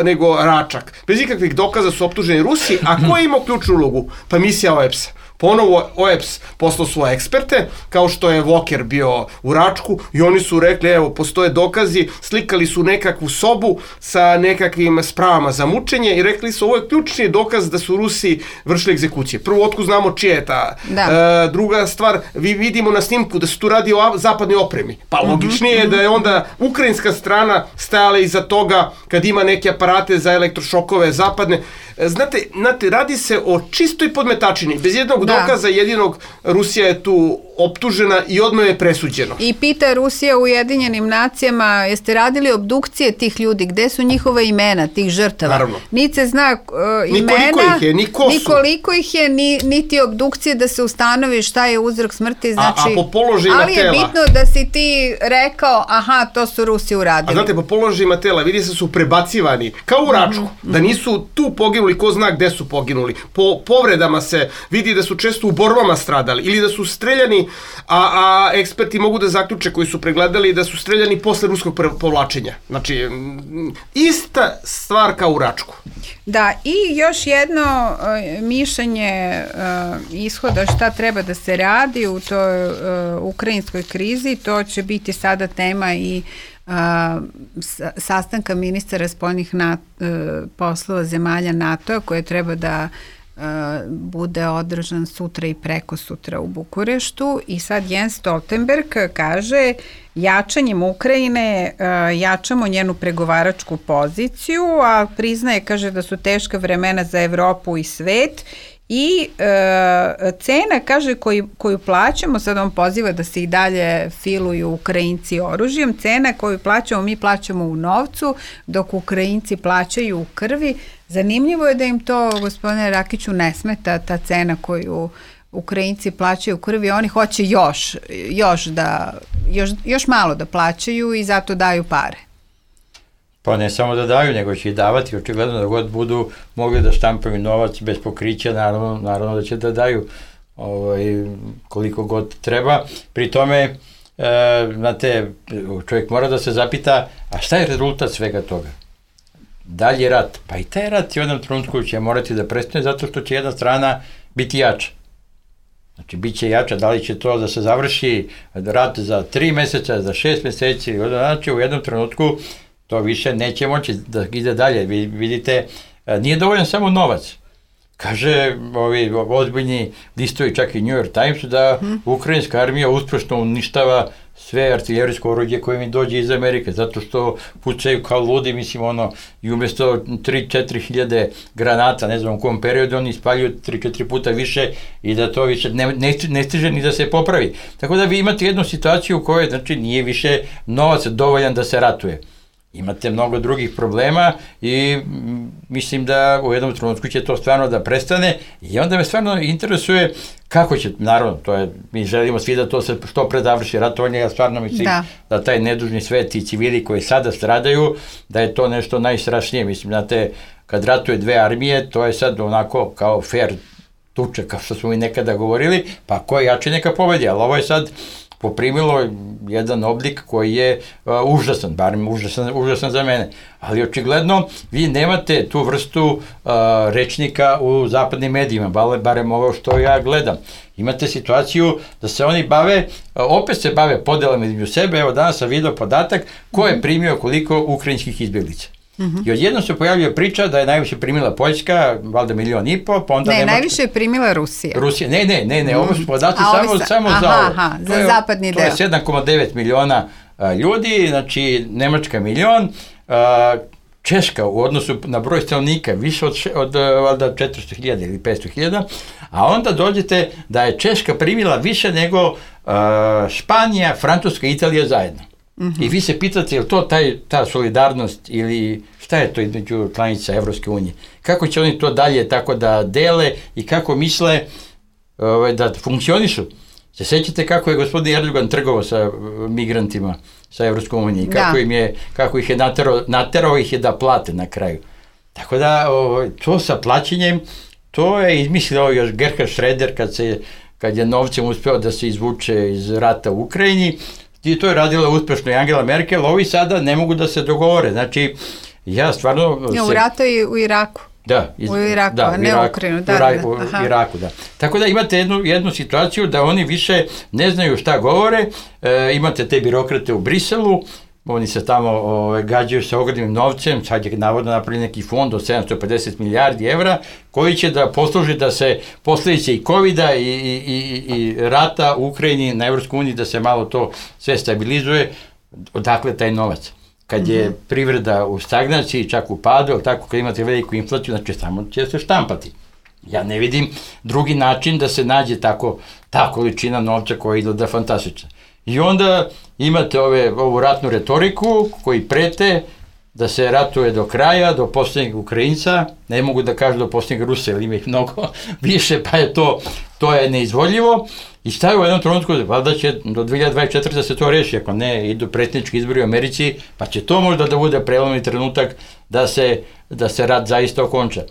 nego Račak? Bez ikakvih dokaza su optuženi Rusi, a ko je imao ključnu ulogu? Pa misija OEBS-a. Ponovo OEBS poslao svoje eksperte, kao što je Walker bio u Račku, i oni su rekli, evo, postoje dokazi, slikali su nekakvu sobu sa nekakvim spravama za mučenje i rekli su, ovo je ključni dokaz da su Rusi vršili egzekucije. Prvo, otkud znamo čije je ta. Druga stvar, vidimo na snimku da se tu radi o zapadnoj opremi. Pa logičnije je da je onda ukrajinska strana stajala iza toga kad ima neke aparate za elektrošokove zapadne. Znate, radi se o čistoj podmetačini, bez jednog dokaza, jedinog Rusija je tu optužena i odmah je presuđeno.
I pita Rusija u Ujedinjenim nacijama, jeste radili obdukcije tih ljudi, gde su njihova imena, tih žrtava?
Naravno.
Niti se zna imena, nikoliko ih je, niti obdukcije da se ustanovi šta je uzrok smrti, znači...
A po položajima tela...
Ali je bitno da si ti rekao, aha, to su Rusi uradili.
A znate, po položajima tela vidi se su prebacivani, kao u Račku, da nisu tu poginuli, ko zna gde su poginuli. Po povredama se vidi da su često u borbama stradali ili da su streljani, a eksperti mogu da zaključe koji su pregledali da su streljani posle ruskog povlačenja. Znači, ista stvar kao u Račku.
Da, i još jedno mišljenje ishoda šta treba da se radi u toj ukrajinskoj krizi, to će biti sada tema i sastanka ministara spoljnih poslova zemalja NATO-a koje treba da bude održan sutra i preko sutra u Bukureštu. I sad Jens Stoltenberg kaže, jačanjem Ukrajine jačamo njenu pregovaračku poziciju, a priznaje, kaže, da su teška vremena za Evropu i svet I cena, kaže, koju plaćamo, sad on poziva da se i dalje filuju Ukrajinci oružjem, cena koju plaćamo, mi plaćamo u novcu, dok Ukrajinci plaćaju u krvi. Zanimljivo je da im to, gospodine Rakiću, ne smeta ta cena koju Ukrajinci plaćaju u krvi, oni hoće još malo da plaćaju i zato daju pare.
Pa ne samo da daju, nego će i davati, očigledno da god budu mogli da štampaju novac bez pokrića, naravno da će da daju koliko god treba. Pri tome, znate, čovjek mora da se zapita, a šta je rezultat svega toga? Dalje rat. Pa i taj rat u jednom trenutku će morati da prestane zato što će jedna strana biti jača. Znači, bit će jača, da li će to da se završi rat za 3 meseca, za 6 meseci, znači u jednom trenutku to više neće moći da ide dalje. Vidite, nije dovoljan samo novac. Kaže ovi ozbiljni listovi, čak i New York Times, da ukrajinska armija uspešno uništava sve artiljerijsko oruđe koje mi dođe iz Amerike, zato što pucaju kao ludi, mislim, i umjesto 3-4 hiljade granata, ne znam u kom periodu, oni spaljuju 3-4 puta više i da to više ne stiže ni da se popravi. Tako da vi imate jednu situaciju u kojoj, znači, nije više novac dovoljan da se ratuje. Imate mnogo drugih problema i mislim da u jednom trenutku će to stvarno da prestane i onda me stvarno interesuje kako će, naravno, mi želimo svi da to se što pre završi ratovanje, ja stvarno mislim da taj nedužni svet i civili koji sada stradaju, da je to nešto najstrašnije. Mislim, znate, kad ratuje dve armije, to je sad onako kao fair tuča, kao što smo mi nekada govorili, pa ko je jači neka pobedi, ali ovo je sad poprimilo jedan oblik koji je užasan, barem užasan za mene. Ali očigledno vi nemate tu vrstu rečnika u zapadnim medijima, barem ovo što ja gledam. Imate situaciju da se oni opet se bave podelama između sebe. Evo danas sam vidio podatak ko je primio koliko ukrajinskih izbjeglica. I odjednom se pojavljuje priča da je najviše primila Poljska, valjda 1,5 miliona, pa onda Nemačka.
Najviše je primila Rusija.
Ne, ovo su podaci samo za ovo.
Za zapadni deo.
To je 7,9 miliona ljudi, znači Nemačka 1 milion, Češka u odnosu na broj stanovnika više od valjda 400.000 ili 500.000, a onda dođete da je Češka primila više nego Španija, Francuska i Italija zajedno. I vi se pitate je li to ta solidarnost ili šta je to između članica Evropske unije? Kako će oni to dalje tako da dele i kako misle da funkcionišu? Se sećate kako je gospodin Erdogan trgovao sa migrantima sa Evropskom unije, kako ih je naterao ih je da plate na kraju. Tako da to sa plaćenjem, to je izmislio još Gerhard Schröder kad je novcem uspeo da se izvuče iz rata u Ukrajini. I to je radila uspešno i Angela Merkel, ovi sada ne mogu da se dogovore. Znači, ja stvarno...
U ratu i u Iraku. U Iraku, a ne u Ukrajinu.
U Iraku, da. Tako da imate jednu situaciju da oni više ne znaju šta govore, imate te birokrate u Briselu, oni se tamo gađaju sa ogromnim novcem, sad je navodno napravili neki fond od 750 milijardi evra, koji će da posluži da se posljedice i COVID-a i rata u Ukrajini na Evropskoj uniji, da se malo to sve stabilizuje. Odakle taj novac? Kad je privreda u stagnaciji, čak u padu, tako kad imate veliku inflaciju, znači samo će se štampati. Ja ne vidim drugi način da se nađe ta količina novca koja izgleda fantastična. I onda imate ovu ratnu retoriku koji prete da se ratuje do kraja, do posljednjeg Ukrajinca, ne mogu da kažu do posljednjeg Rusa, jer ima ih mnogo više, pa je to je neizvodljivo. I stavio u jednom trenutku, valjda će do 2024. da se to reši, ako ne idu predsjednički izbori u Americi, pa će to možda da bude prelomni trenutak da se rat zaista okonča.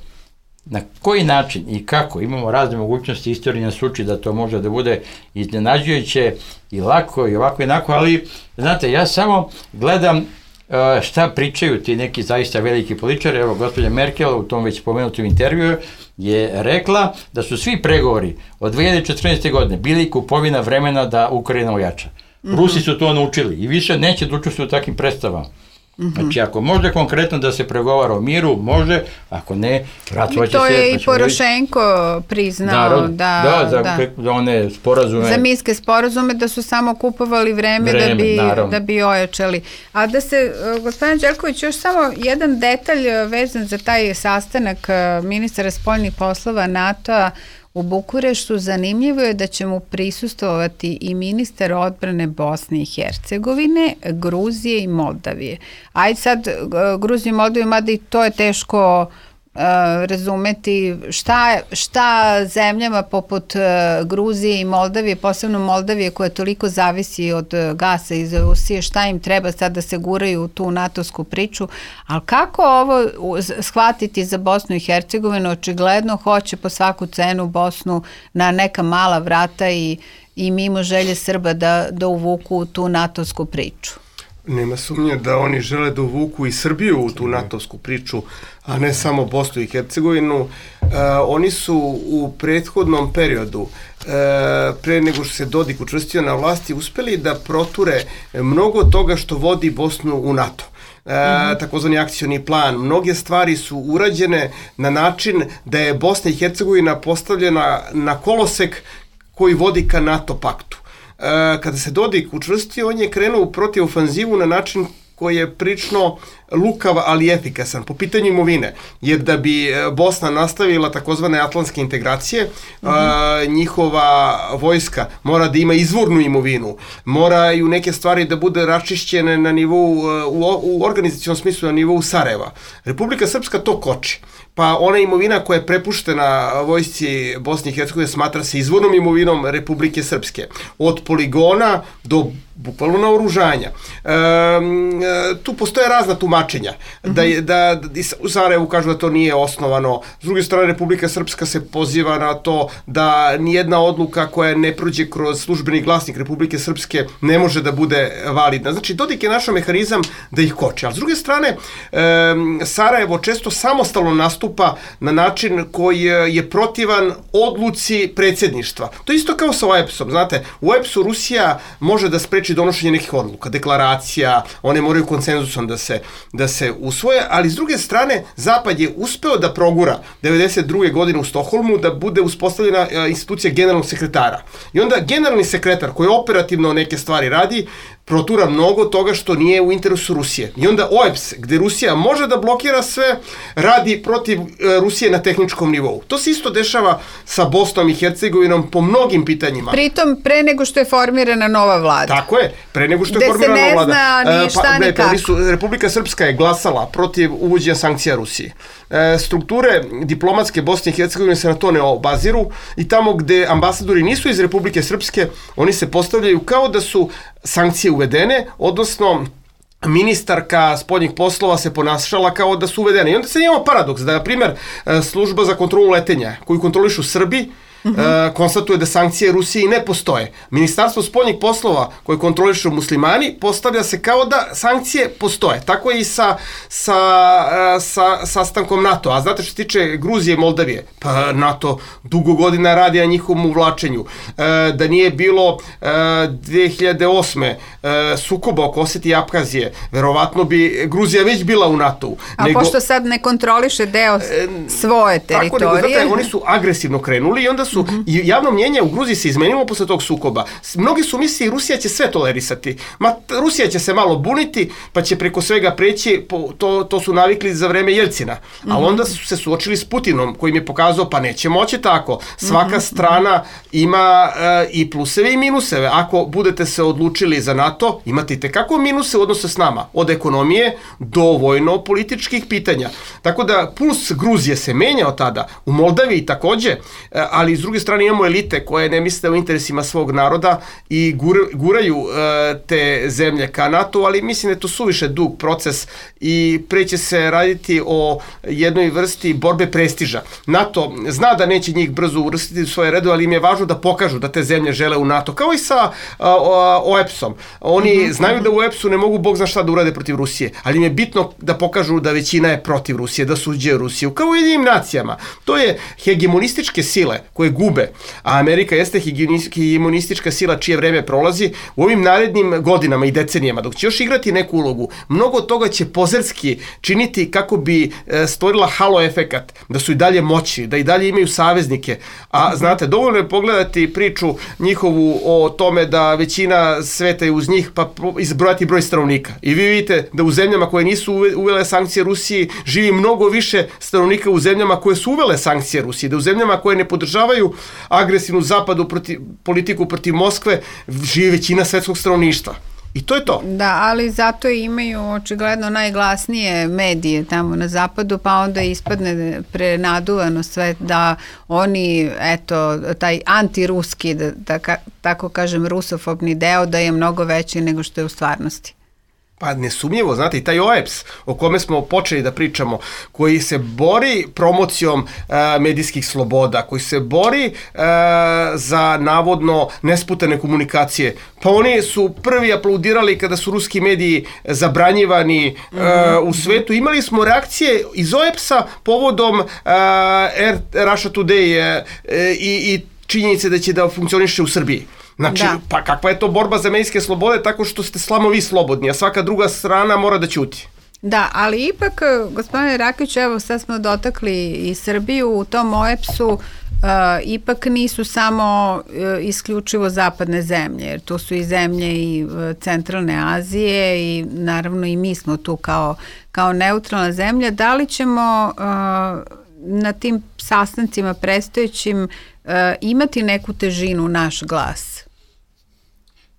Na koji način i kako, imamo razne mogućnosti, istorija nas uči da to može da bude iznenađujuće i lako i ovako i onako, ali znate, ja samo gledam šta pričaju ti neki zaista veliki političari. Evo, gospođa Merkel u tom već spomenutom intervjuu je rekla da su svi pregovori od 2014. godine bili kupovina vremena da Ukrajina ojača. Rusi su to naučili i više neće da učestvuju u takvim predstavama. Znači, ako može konkretno da se pregovara o miru, može, ako ne, ratovaće se.
To je i Porošenko priznao
za one sporazume.
Za minske sporazume da su samo kupovali vreme da bi ojačali. A da se, gospodin Đelković, još samo jedan detalj vezan za taj sastanak ministara spoljnih poslova NATO-a u Bukureštu. Zanimljivo je da će mu prisustvovati i ministar odbrane Bosne i Hercegovine, Gruzije i Moldavije. Ajde sad, Gruziju i Moldaviju, mada i to je teško razumeti šta zemljama poput Gruzije i Moldavije, posebno Moldavije koja toliko zavisi od gasa iz Rusije, šta im treba sad da se guraju u tu NATO-sku priču, ali kako ovo shvatiti za Bosnu i Hercegovinu? Očigledno hoće po svaku cenu Bosnu na neka mala vrata i mimo želje Srba da uvuku tu NATO-sku priču.
Nema sumnje da oni žele da uvuku i Srbiju u tu NATO-sku priču, a ne samo Bosnu i Hercegovinu. Oni su u prethodnom periodu, pre nego što se Dodik učvrstio na vlasti, uspeli da proture mnogo toga što vodi Bosnu u NATO. Takozvani akcioni plan. Mnoge stvari su urađene na način da je Bosna i Hercegovina postavljena na kolosek koji vodi ka NATO paktu. Kada se Dodik učvrstio, on je krenuo protiv ofanzivu na način koji je prilično lukav, ali efikasan po pitanju imovine, jer da bi Bosna nastavila takozvane atlantske integracije, njihova vojska mora da ima izvornu imovinu, moraju neke stvari da bude raščišćene na nivou, u organizacionom smislu na nivou Sarajeva. Republika Srpska to koči, pa ona imovina koja je prepuštena vojsci Bosne i Hercegovine smatra se izvornom imovinom Republike Srpske, od poligona do bukvalno naoružanja. Tu postoje razna tumačenja. Da u Sarajevu kažu da to nije osnovano. S druge strane, Republika Srpska se poziva na to da nijedna odluka koja ne prođe kroz službeni glasnik Republike Srpske ne može da bude validna. Znači, Dodik je našao mehanizam da ih koči. Ali s druge strane, Sarajevo često samostalno nastupa na način koji je protivan odluci predsjedništva. To je isto kao sa OEBS-om. Znate, u OEBS-u Rusija može da spreči donošenje nekih odluka, deklaracija, one moraju konsenzusom da se usvoje, ali s druge strane Zapad je uspeo da progura 92. godine u Stokholmu da bude uspostavljena institucija generalnog sekretara. I onda generalni sekretar koji operativno neke stvari radi, protura mnogo toga što nije u interesu Rusije. I onda OEBS, gde Rusija može da blokira sve, radi protiv Rusije na tehničkom nivou. To se isto dešava sa Bosnom i Hercegovinom po mnogim pitanjima.
Pritom, pre nego što je formirana nova vlada.
Tako je, pre nego što je formirana nova vlada.
Gde se ne zna ni šta ni kako.
Republika Srpska je glasala protiv uvođenja sankcija Rusije. Strukture diplomatske Bosne i Hercegovine se na to ne obaziru i tamo gde ambasadori nisu iz Republike Srpske, oni se postavljaju kao da su sankcije uvedene, odnosno ministarka spoljnih poslova se ponašala kao da su uvedene. I onda se imamo paradoks da, na primjer, služba za kontrolu letenja koju kontrolišu Srbi konstatuje da sankcije Rusiji ne postoje. Ministarstvo spoljnih poslova koje kontrolišu muslimani postavlja se kao da sankcije postoje. Tako je i sa sastankom NATO. A znate što se tiče Gruzije i Moldavije? Pa NATO dugo godina radi na njihovom uvlačenju. Da nije bilo 2008. sukoba oko Oseti i Apkazije, verovatno bi Gruzija već bila u NATO-u.
Pošto sad ne kontroliše deo svoje teritorije.
Tako nego, oni su agresivno krenuli i onda su i javno mnjenje u Gruziji se izmenilo posle tog sukoba. Mnogi su mislili Rusija će sve tolerisati. Rusija će se malo buniti, pa će preko svega preći, to su navikli za vreme Jelcina. Ali onda su se suočili s Putinom, koji im je pokazao pa neće moći tako. Svaka strana ima i pluseve i minuseve. Ako budete se odlučili za NATO, imate i tekako minuse u odnosu s nama. Od ekonomije do vojno-političkih pitanja. Tako da puls Gruzije se menjao tada. U Moldaviji takođe, ali s druge strane imamo elite koje ne misle o interesima svog naroda i guraju te zemlje ka NATO, ali mislim da je to suviše dug proces i preće se raditi o jednoj vrsti borbe prestiža. NATO zna da neće njih brzo uvrstiti u svoje redove, ali im je važno da pokažu da te zemlje žele u NATO, kao i sa OEBS-om. Oni znaju da u OEBS-u ne mogu bog zna šta da urade protiv Rusije, ali im je bitno da pokažu da većina je protiv Rusije, da suđe Rusiju, kao i jednim nacijama. To je hegemonističke sile koje gube, a Amerika jeste hegemonistička sila čije vreme prolazi, u ovim narednim godinama i decenijama, dok će još igrati neku ulogu, mnogo toga će pozerski činiti kako bi stvorila halo efekat, da su i dalje moćni, da i dalje imaju saveznike. A znate, dovoljno je pogledati priču njihovu o tome da većina sveta je uz njih, pa izbrojati broj stanovnika. I vi vidite da u zemljama koje nisu uvele sankcije Rusiji živi mnogo više stanovnika u zemljama koje su uvele sankcije Rusiji, da u zemljama koje ne podržavaju agresivnu zapadu politiku protiv Moskve živi većina svetskog stanovništva. I to je to.
Da, ali zato imaju očigledno najglasnije medije tamo na zapadu, pa onda ispadne prenaduvano sve da oni, eto, taj antiruski, da tako kažem, rusofobni deo da je mnogo veći nego što je u stvarnosti.
Pa nesumnjivo, znate, i taj OEBS o kome smo počeli da pričamo, koji se bori promocijom medijskih sloboda, koji se bori za navodno nesputane komunikacije, pa oni su prvi aplaudirali kada su ruski mediji zabranjivani u svetu. Imali smo reakcije iz OEBS-a povodom Russia Today i činjenice da će da funkcioniše u Srbiji. Znači, pa kakva je to borba za medijske slobode tako što ste slamo vi slobodni, a svaka druga strana mora da ćuti.
Da, ali ipak, gospodine Rakić, evo sad smo dotakli i Srbiju, u tom OEBS-u ipak nisu samo isključivo zapadne zemlje, jer tu su i zemlje i centralne Azije i naravno i mi smo tu kao neutralna zemlja. Da li ćemo na tim sastancima predstojećim imati neku težinu naš glas?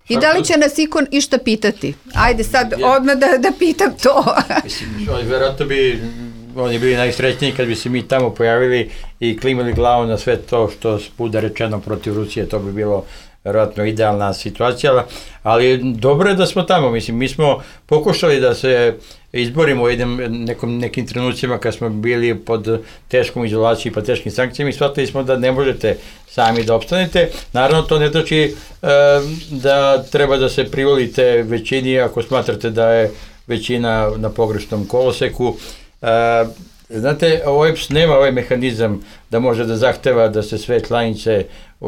I da li će nas ikon išta pitati? Ajde sad odmah da pitam to.
Mislim, verovatno bi oni bili najsrećniji kad bi se mi tamo pojavili i klimali glavu na sve to što bude rečeno protiv Rusije, to bi bilo verovatno idealna situacija, ali dobro je da smo tamo, mislim, mi smo pokušali da se izborimo u nekim trenucima kad smo bili pod teškom izolacijom i pod teškim sankcijama i shvatili smo da ne možete sami da opstanete. Naravno, to ne znači da treba da se privolite većini ako smatrate da je većina na pogrešnom koloseku. Znate, OEBS nema ovaj mehanizam da može da zahteva da se sve članice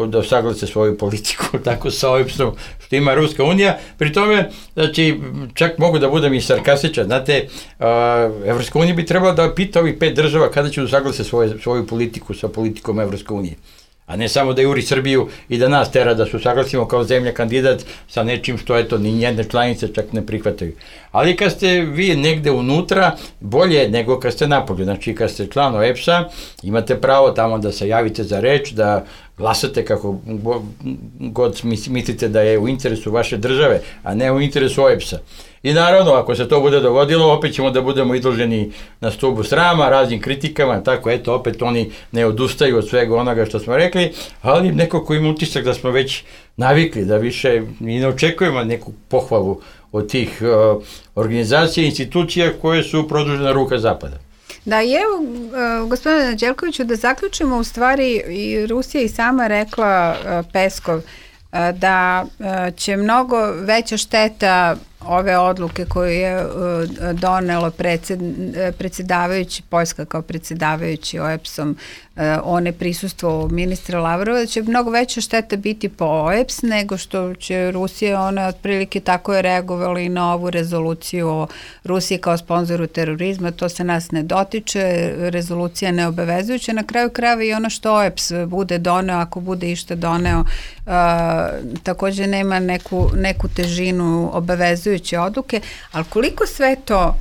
da usaglase svoju politiku, tako sa OEBS-om što ima Ruska unija. Pri tome, znači, čak mogu da budem i sarkastičan, znate, Evropska unija bi trebala da pita ovih 5 država kada će usaglase svoju politiku sa politikom Evropske unije. A ne samo da juri Srbiju i da nas tera da se usaglasimo kao zemlja kandidat sa nečim što eto ni jedne članice čak ne prihvataju. Ali kad ste vi negde unutra, bolje nego kad ste napolju. Znači kad ste član OEBS-a, imate pravo tamo da se javite za reč, da glasate kako god mislite da je u interesu vaše države, a ne u interesu OEBS-a. I naravno, ako se to bude dogodilo, opet ćemo da budemo izloženi na stubu srama, raznim kritikama, tako eto, opet oni ne odustaju od svega onoga što smo rekli, ali neko ko ima utisak da smo već navikli, da više i ne očekujemo neku pohvalu od tih organizacija i institucija koje su produžena ruka Zapada.
Da, i evo, gospodine Đelkoviću, da zaključimo, u stvari i Rusija i sama rekla, Peskov, da će mnogo veća šteta ove odluke koje je donelo predsjedavajući, Poljska kao predsjedavajući OEBS-om, o neprisustvo ministra Lavrova, da će mnogo veća šteta biti po OEBS nego što će Rusija, ona otprilike tako je reagovala i na ovu rezoluciju o Rusiji kao sponzoru terorizma, to se nas ne dotiče, rezolucija neobavezujuća, na kraju krajeva i ono što OEBS bude doneo, ako bude išta doneo, također nema neku težinu obavezujuće odluke, ali koliko sve to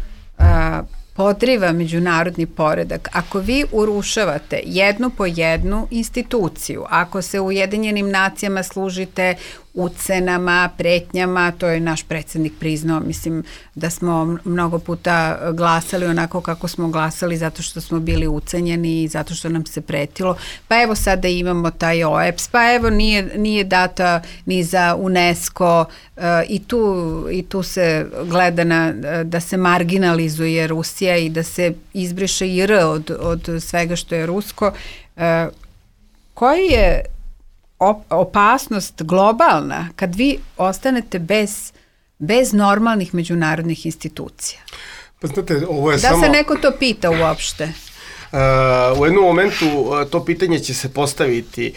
podriva međunarodni poredak, ako vi urušavate jednu po jednu instituciju, ako se u Ujedinjenim nacijama služite ucenama, pretnjama, to je naš predsjednik priznao, mislim da smo mnogo puta glasali onako kako smo glasali zato što smo bili ucenjeni i zato što nam se pretilo, pa evo sada imamo taj OEBS, pa evo nije data ni za UNESCO i tu se gleda da se marginalizuje Rusija i da se izbriše i R od svega što je rusko. Koji je opasnost globalna kad vi ostanete bez normalnih međunarodnih institucija?
Pa znate, ovo je
da se neko to pita uopšte?
U jednom momentu to pitanje će se postaviti.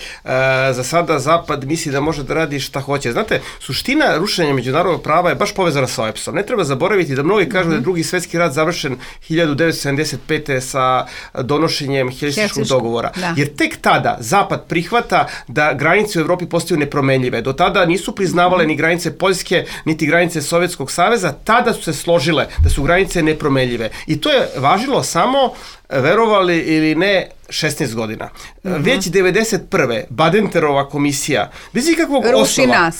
Za sada Zapad misli da može da radi šta hoće. Znate, suština rušenja međunarodnog prava je baš povezana sa OEBS-om. Ne treba zaboraviti da mnogi kažu da je drugi svetski rat završen 1975. sa donošenjem Helsinškog dogovora. Da. Jer tek tada Zapad prihvata da granice u Evropi postaju nepromenljive. Do tada nisu priznavale ni granice Poljske, niti granice Sovjetskog saveza. Tada su se složile da su granice nepromenljive. I to je važilo samo, verovali ili ne, 16 godina. Već 91. Badenterova komisija, bez ikakvog osnova,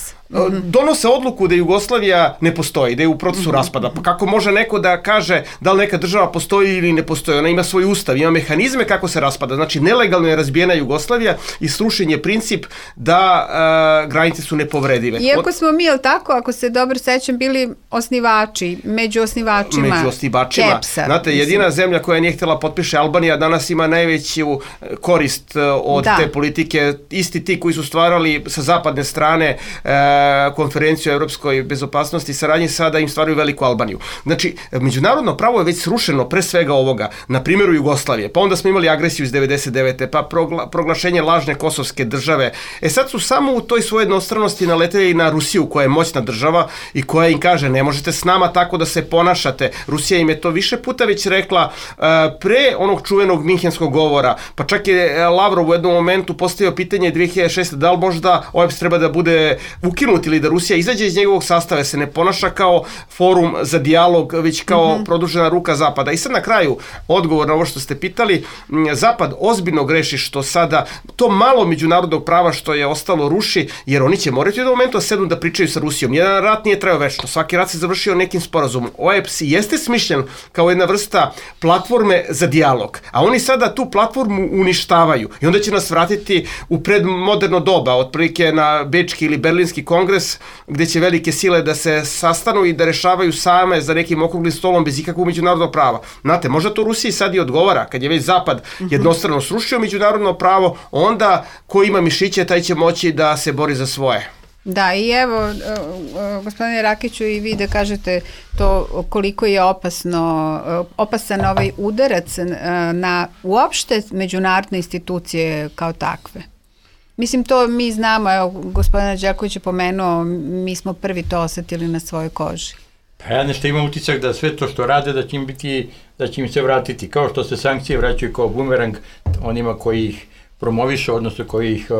donose odluku da Jugoslavija ne postoji, da je u procesu raspada. Pa kako može neko da kaže da li neka država postoji ili ne postoji? Ona ima svoj ustav, ima mehanizme kako se raspada. Znači, nelegalno je razbijena Jugoslavija i srušen je princip da granice su nepovredive.
Iako smo mi, jel tako, ako se dobro sećam, bili osnivači, među osnivačima Kepsa.
Znate, jedina zemlja koja nije htjela potpiše Albanija danas ima najveću korist od te politike. Isti ti koji su stvarali sa zapadne strane konferenciju o evropskoj bezopasnosti i saradnji, sada im stvaraju veliku Albaniju. Znači, međunarodno pravo je već srušeno pre svega ovoga, na primjeru Jugoslavije, pa onda smo imali agresiju iz 99. pa proglašenje lažne kosovske države. Sad su samo u toj svojoj jednostranosti naleteli na Rusiju, koja je moćna država i koja im kaže, ne možete s nama tako da se ponašate. Rusija im je to više puta već rekla pre onog čuvenog Minhenskog govora, pa čak je Lavrov u jednom momentu postavio pitanje 2006. da li možda OEBS treba da bude ukinut ili da Rusija izađe iz njegovog sastava, se ne ponaša kao forum za dijalog, već kao produžena ruka Zapada. I sad na kraju, odgovor na ovo što ste pitali, Zapad ozbiljno greši što sada to malo međunarodnog prava što je ostalo ruši, jer oni će morati u jednom momentu sednu da pričaju sa Rusijom. Jedan rat nije trajao večno, svaki rat se završio nekim sporazumom. OEBS jeste smišljen kao jedna vrsta platforme za dijalog, a oni sada tu platformu uništavaju i onda će nas vratiti u predmoderno doba, otprilike na Bečki ili Berlinski kongres, gde će velike sile da se sastanu i da rešavaju same za nekim okruglim stolom bez ikakvog međunarodnog prava. Znate, možda to Rusiji sad i odgovara, kad je već Zapad jednostrano srušio međunarodno pravo, onda ko ima mišiće, taj će moći da se bori za svoje.
Da, i evo, gospodine Rakiću, i vi da kažete to koliko je opasan ovaj udarac na uopšte međunarodne institucije kao takve. Mislim, to mi znamo, evo, gospodina Đaković je pomenuo, mi smo prvi to osetili na svojoj koži.
Pa ja nešto imam utisak da sve to što rade, da će im se vratiti. Kao što se sankcije vraćaju kao bumerang onima koji ih promovišu, odnosno koji ih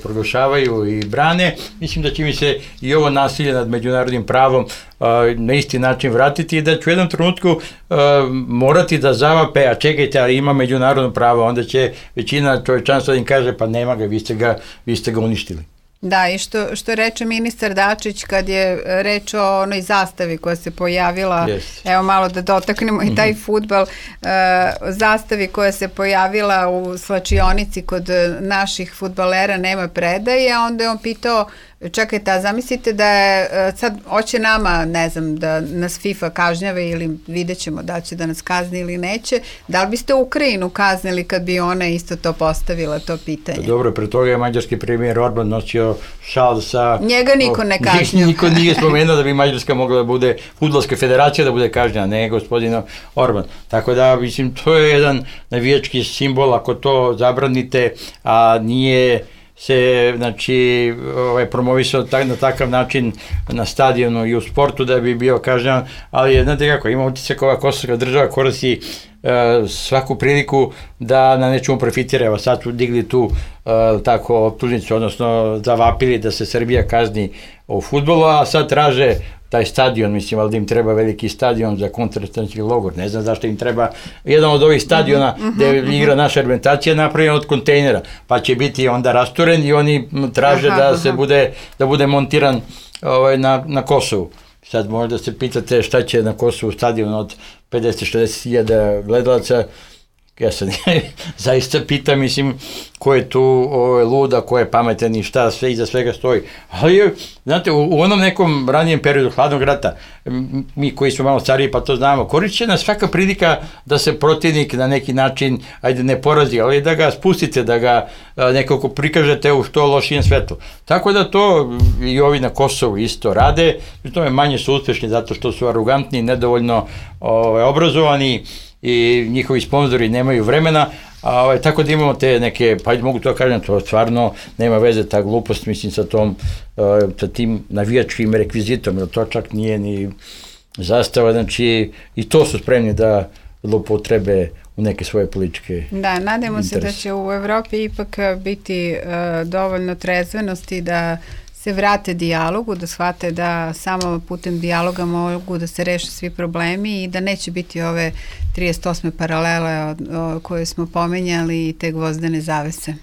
proglašavaju i brane, mislim da će mi se i ovo nasilje nad međunarodnim pravom na isti način vratiti i da ću u jednom trenutku morati da zavape, a čekajte, ali ima međunarodno pravo, onda će većina čovječanstva da im kaže, pa nema ga, vi ste ga uništili.
Da, i što reče ministar Dačić kad je reč o onoj zastavi koja se pojavila, evo malo da dotaknemo i taj fudbal, zastavi koja se pojavila u slačionici kod naših fudbalera nema predaje, onda je on pitao, čekajte, a zamislite da je sad hoće nama, ne znam, da nas FIFA kažnjave ili vidjet ćemo da će da nas kazni ili neće, da li biste Ukrajinu kaznili kad bi ona isto to postavila, to pitanje?
Dobro, pre toga je mađarski premijer Orban nosio šal sa...
Njega niko ne kažnjava.
Niko nije spomenuo da bi Mađarska mogla da bude, fudbalska federacija da bude kažnjena, ne gospodina Orban. Tako da, mislim, to je jedan navijački simbol, ako to zabranite, a nije se, znači, promovisao na takav način na stadionu i u sportu da bi bio kažnjavan, ali znate kako, ima utisak ova kosovska država koristi svaku priliku da na nečemu profitira. Evo sad su digli tu tako optužnicu, odnosno zavapili da se Srbija kazni u fudbalu, a sad traže taj stadion, mislim, ali da im treba veliki stadion za koncentracioni logor. Ne znam zašto im treba jedan od ovih stadiona gde igra naša reprezentacija napravljen od kontejnera, pa će biti onda rasturen i oni traže da bude montiran na Kosovu. Sad možda se pitate šta će na Kosovu stadion od 50-60 hiljada gledalaca. Ja se zaista pitam, mislim, ko je tu luda, ko je pametan i šta sve iza svega stoji. Ali, znate, u onom nekom ranijem periodu hladnog rata, mi koji smo malo stariji pa to znamo, korišćena svaka prilika da se protivnik na neki način, ajde ne porazi, ali da ga spustite, da ga nekako prikažete u što lošijem svetlu. Tako da to i ovi na Kosovu isto rade, pri tome manje su uspešni zato što su arogantni, nedovoljno obrazovani i njihovi sponzori nemaju vremena, tako da imamo te neke, pa mogu to kažem, to stvarno nema veze, ta glupost, mislim, sa tim navijačkim rekvizitom, jer to čak nije ni zastava, znači i to su spremni da zloupotrebe u neke svoje političke interese.
Da, nadamo se da će u Evropi ipak biti dovoljno trezvenosti da se vrate dijalogu, da shvate da samo putem dijaloga mogu da se reše svi problemi i da neće biti ove 38. paralele koje smo pomenjali i te gvozdene zavese.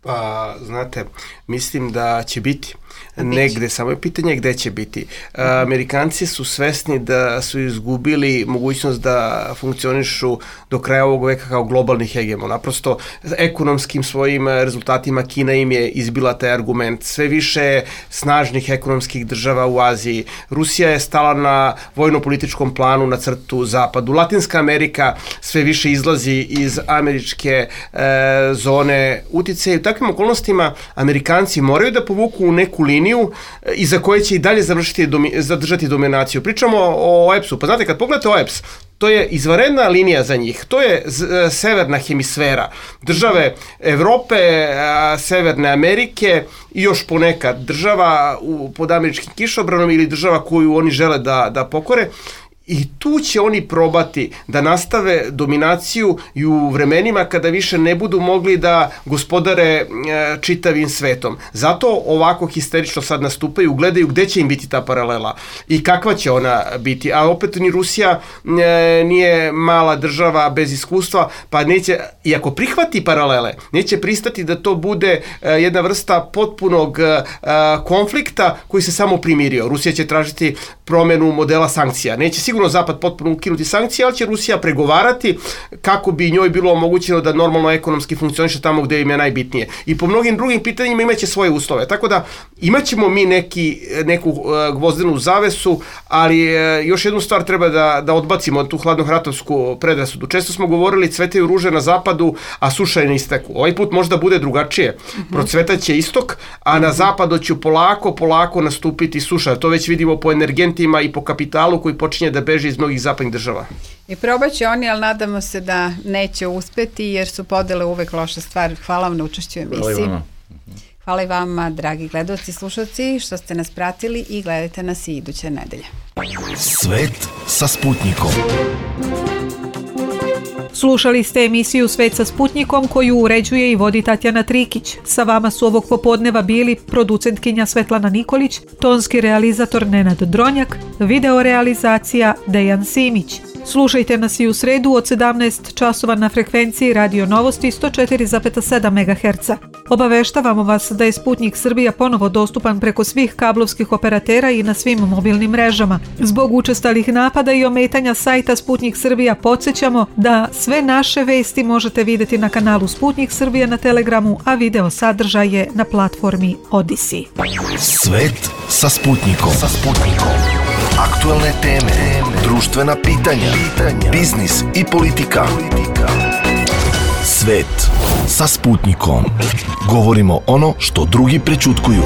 Pa, znate, mislim da će biti. Negde, samo je pitanje gde će biti. Amerikanci su svesni da su izgubili mogućnost da funkcionišu do kraja ovog veka kao globalni hegemon. Naprosto, ekonomskim svojim rezultatima Kina im je izbila taj argument. Sve više snažnih ekonomskih država u Aziji. Rusija je stala na vojno-političkom planu na crtu zapadu. Latinska Amerika sve više izlazi iz američke zone uticaja. U takvim okolnostima Amerikanci moraju da povuku u neku liniju iza koje će i dalje zadržati dominaciju. Pričamo o OEPS-u. Pa znate, kad pogledate OEPS, to je izvanredna linija za njih. To je severna hemisfera. Države Evrope, Severne Amerike i još ponekad država pod američkim kišobranom ili država koju oni žele da pokore. I tu će oni probati da nastave dominaciju i u vremenima kada više ne budu mogli da gospodare čitavim svetom. Zato ovako histerično sad nastupaju, gledaju gde će im biti ta paralela i kakva će ona biti. A opet ni Rusija nije mala država bez iskustva, pa neće, iako prihvati paralele, neće pristati da to bude jedna vrsta potpunog konflikta koji se samo primirio. Rusija će tražiti promenu modela sankcija. Neće sigurno Zapad potpuno ukinuti sankcije, ali će Rusija pregovarati kako bi njoj bilo omogućeno da normalno ekonomski funkcioniše tamo gde im je najbitnije. I po mnogim drugim pitanjima imaće svoje uslove. Tako da imaćemo mi neku gvozdenu zavesu, ali još jednu stvar treba da odbacimo tu hladnohratovsku predrasudu. Često smo govorili cvetaju ruže na zapadu, a suša je na isteku. Ovaj put možda bude drugačije. Procvetaće istok, a na zapadu će polako nastupiti suša. To već vidimo po energentima i po kapitalu koji počinje da beži iz mnogih zapadnih država.
I probat će oni, ali nadamo se da neće uspeti, jer su podele uvek loša stvar. Hvala vam na učešću u emisiji. Hvala i vama, dragi gledalci i slušalci, što ste nas pratili i gledajte nas i iduće nedelje.
Svet sa Sputnikom.
Slušali ste emisiju Svet sa Sputnikom koju uređuje i vodi Tatjana Trikić. Sa vama su ovog popodneva bili producentkinja Svetlana Nikolić, tonski realizator Nenad Dronjak, video realizacija Dejan Simić. Slušajte nas i u sredu od 17 časova na frekvenciji Radio Novosti 104,7 MHz. Obaveštavamo vas da je Sputnik Srbija ponovo dostupan preko svih kablovskih operatera i na svim mobilnim mrežama. Zbog učestalih napada i ometanja sajta Sputnik Srbija podsjećamo da sve naše vesti možete vidjeti na kanalu Sputnik Srbija na Telegramu, a video sadržaj je na platformi Odyssey.
Svet sa Sputnikom. Aktualne teme, društvena pitanja, biznis i politika. Svet sa Sputnikom. Govorimo ono što drugi prećutkuju.